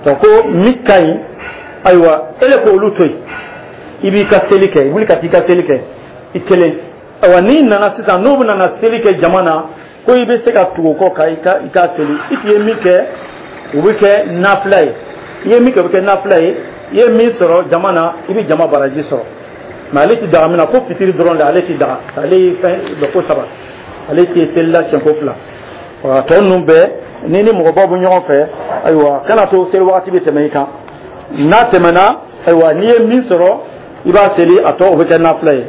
Donc ko min ka ɲi, ayiwa, e le k'olu to yen, i b'i ka seli kɛ, wuli ka t'i ka seli kɛ i kelen. Ayiwa, n'i nana sisan, n'o bɛna na seli kɛ jama na, ko i bɛ se ka tugu o kɔ ka i ka i ka seli. I tun ye min kɛ, o bɛ kɛ nafila ye. I ye min kɛ, o bɛ kɛ nafila ye. I ye min sɔrɔ jama na, i bɛ jama baraji sɔrɔ. Mais ale ti daga min na, ko fitiri dɔrɔn de ale ti daga, ale ye fɛn lɔko saba, ale ti seli la siɲɛko fila. Wa tɔ ninnu bɛɛ, ni ni mɔgɔbaw bɛ ɲɔgɔn fɛ, ayiwa, kana to seli wagati bɛ tɛmɛ i kan. N'a tɛmɛna, ayiwa, n'i ye min sɔrɔ, i b'a seli, a tɔ o bɛ kɛ nafila ye.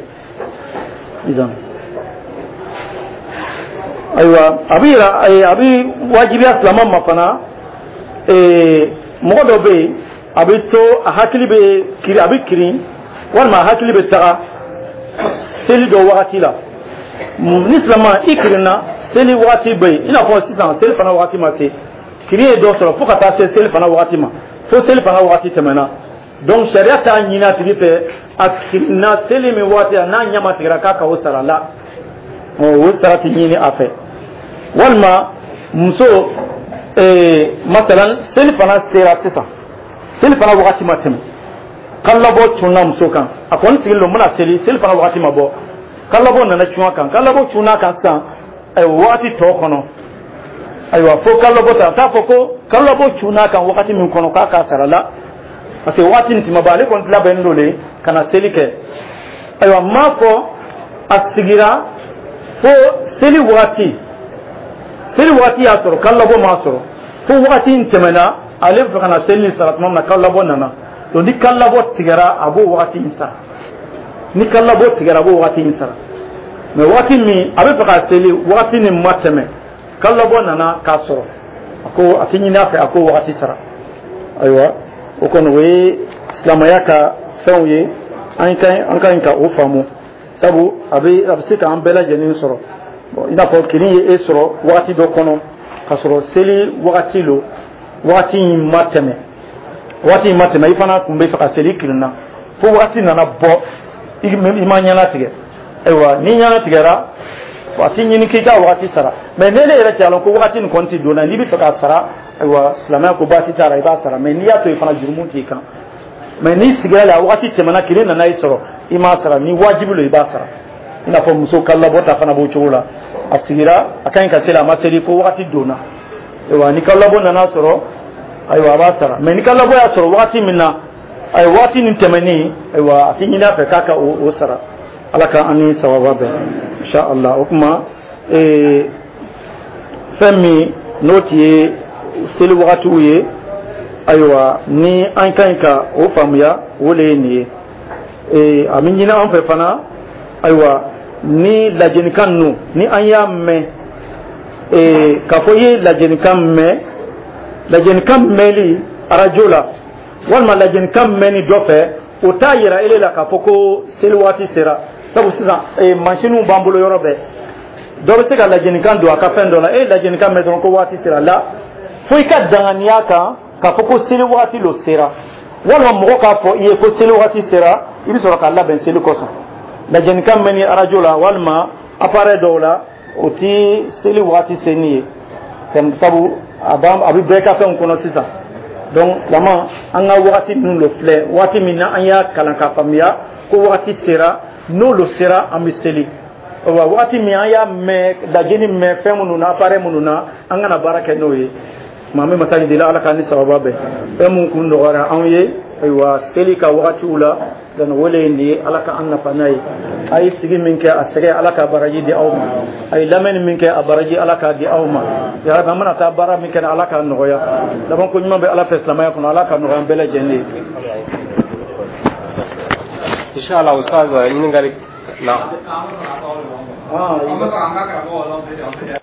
Ayiwa, a bɛ yira, a bɛ wajibiya silamɛ ma fana. Mɔgɔ dɔ bɛ yen, a bɛ to a hakili bɛ kiri, a bɛ kirin walima a hakili bɛ taga seli dɔ wagati la. Ni silamɛ i kirinna, seli wagati bɛ yen, i n'a fɔ sisan seli fana wagati ma se, kirin ye dɔ sɔrɔ fo ka taa se seli fana wagati ma, fo seli fana wagati tɛmɛna. Donc sariya t'a ɲini a tigi fɛ, a kirinna seli min wagati la, n'a ɲɛ ma tigɛra, k'a ka o sara la, o sara ti ɲini a fɛ. Walima muso, masalan seli fana sera sisan, seli fana wagati ma tɛmɛ, kalabɔ cunna muso kan, a kɔni sigilen don, n bɛna seli, seli fana wagati ma bɔ, kalabɔ nana cun a kan, kalabɔ cunna a kan sisan, ayiwa, wagati tɔ kɔnɔ, ayiwa, fo kalabɔ ta, a t'a fɔ ko kalabɔ cunna a kan wagati min kɔnɔ k'a k'a sara la, parce que wagati nin tuma bɔ, ale kɔni labɛnnen don de ka na seli kɛ. Ayiwa, n m'a fɔ a sigira fo seli wagati, seli wagati y'a sɔrɔ, kalabɔ m'a sɔrɔ, fo wagati in tɛmɛna, ale bɛ fɛ ka na seli nin sara tuma min na, kalabɔ nana. Donc ni kalabɔ tigɛra, a b'o wagati in sara. Ni kalabɔ tigɛra, a b'o wagati in sara. Mais wagati min a bɛ fɛ ka seli, wagati nin ma tɛmɛ, kalabɔ nana k'a sɔrɔ, a ko a tɛ ɲini a fɛ a k'o wagati sara. Ayiwa, o kɔni o ye silamɛya ka fɛnw ye, an ka an ka ɲi ka o faamu, sabu a bɛ a bɛ se k'an bɛɛ lajɛlen sɔrɔ. Bon, i n'a fɔ kirin ye e sɔrɔ wagati dɔ kɔnɔ k'a sɔrɔ seli wagati lo, wagati in ma tɛmɛ, wagati in ma tɛmɛ, i fana tun bɛ fɛ ka seli, kirinna fo wagati nana bɔ, i ma ɲɛnatigɛ. Ayiwa, ni ɲɛna tigɛra, a ti ɲini k'i ka wagati sara. Mais ne ne yɛrɛ t'a lɔn ko wagati nin kɔni ti donna, n'i bɛ fɛ k'a sara, ayiwa, silamɛya ko baasi t'a la, i b'a sara. Mais n'i y'a to yen fana, jurumu t'i kan. Mais n'i sigira la, wagati tɛmɛna, kile nana i sɔrɔ i m'a sara, ni wajibi lo, i b'a sara. I n'a fɔ muso kalolabɔ ta fana b'o cogo la. A sigira, a ka ɲi ka seli, a ma seli fo wagati donna. Ayiwa, ni kalolabɔ nana sɔrɔ, ayiwa, a b'a sara. Mais ni kalolabɔ y'a sɔrɔ wagati min na, ayiwa, wagati nin tɛmɛnen, ayiwa, a ti ɲini a fɛ k'a ka o o sara. Ala ka an ni sababa bɛn, insha Allah. O tuma, ee, fɛn min n'o ti ye seli wagatiw ye, ayiwa, ni an ka ɲi ka o faamuya, o le ye nin ye. Ee, a bɛ ɲini an fɛ fana, ayiwa, ni lajɛnikan ninnu ni an y'a mɛn, ee, k'a fɔ i ye lajɛnikan mɛn, lajɛnikan mɛnli arajo la walima lajɛnikan mɛnni dɔ fɛ, o t'a yira ele la k'a fɔ ko seli waati sera. Sabu sisan, ee, mansinw b'an bolo yɔrɔ bɛɛ, dɔ bɛ se ka lajɛnikan don a ka fɛn dɔ la, e ye lajɛnikan mɛn dɔrɔn ko waati sera la. Fo i ka danganiya kan k'a fɔ ko seli waati lo sera, walima mɔgɔ k'a fɔ i ye ko seli waati sera, i bɛ sɔrɔ k'a labɛn seli kosɔn. Lajɛnikan mɛnni arajo la walima appareil dɔw la, o ti seli waati seni ye, sabu a b'an a bɛ bɛɛ ka fɛnw kɔnɔ sisan. Donc silama, an ka wagati ninnu lo filɛ, waati min na an y'a kalan k'a faamuya ko wagati sera, n'o lo sera, an bɛ seli. Wa wagati min an y'a mɛn lajɛni mɛn fɛn minnu na, appareil minnu na, an kana baara kɛ n'o ye. Maa min masa deli, Ala k'an ni sababa bɛn. Fɛn mun kun nɔgɔyara anw ye, ayiwa, seli ka wagatiw la, donc o le ye nin ye. Ala ka an nafa n'a ye. A ye sigi min kɛ, a sɛgɛ, Ala ka baraji di aw ma. A ye lamɛnni min kɛ, a baraji, Ala k'a di aw ma. Yarabi, an mana taa baara min kɛ, Ala k'a nɔgɔya. Laban ko ɲuman bɛ Ala fɛ silamɛya kɔnɔ, Ala ka nɔgɔya an bɛɛ lajɛlen ye. Inshallah, ustaz, ɲininkali na. Ah.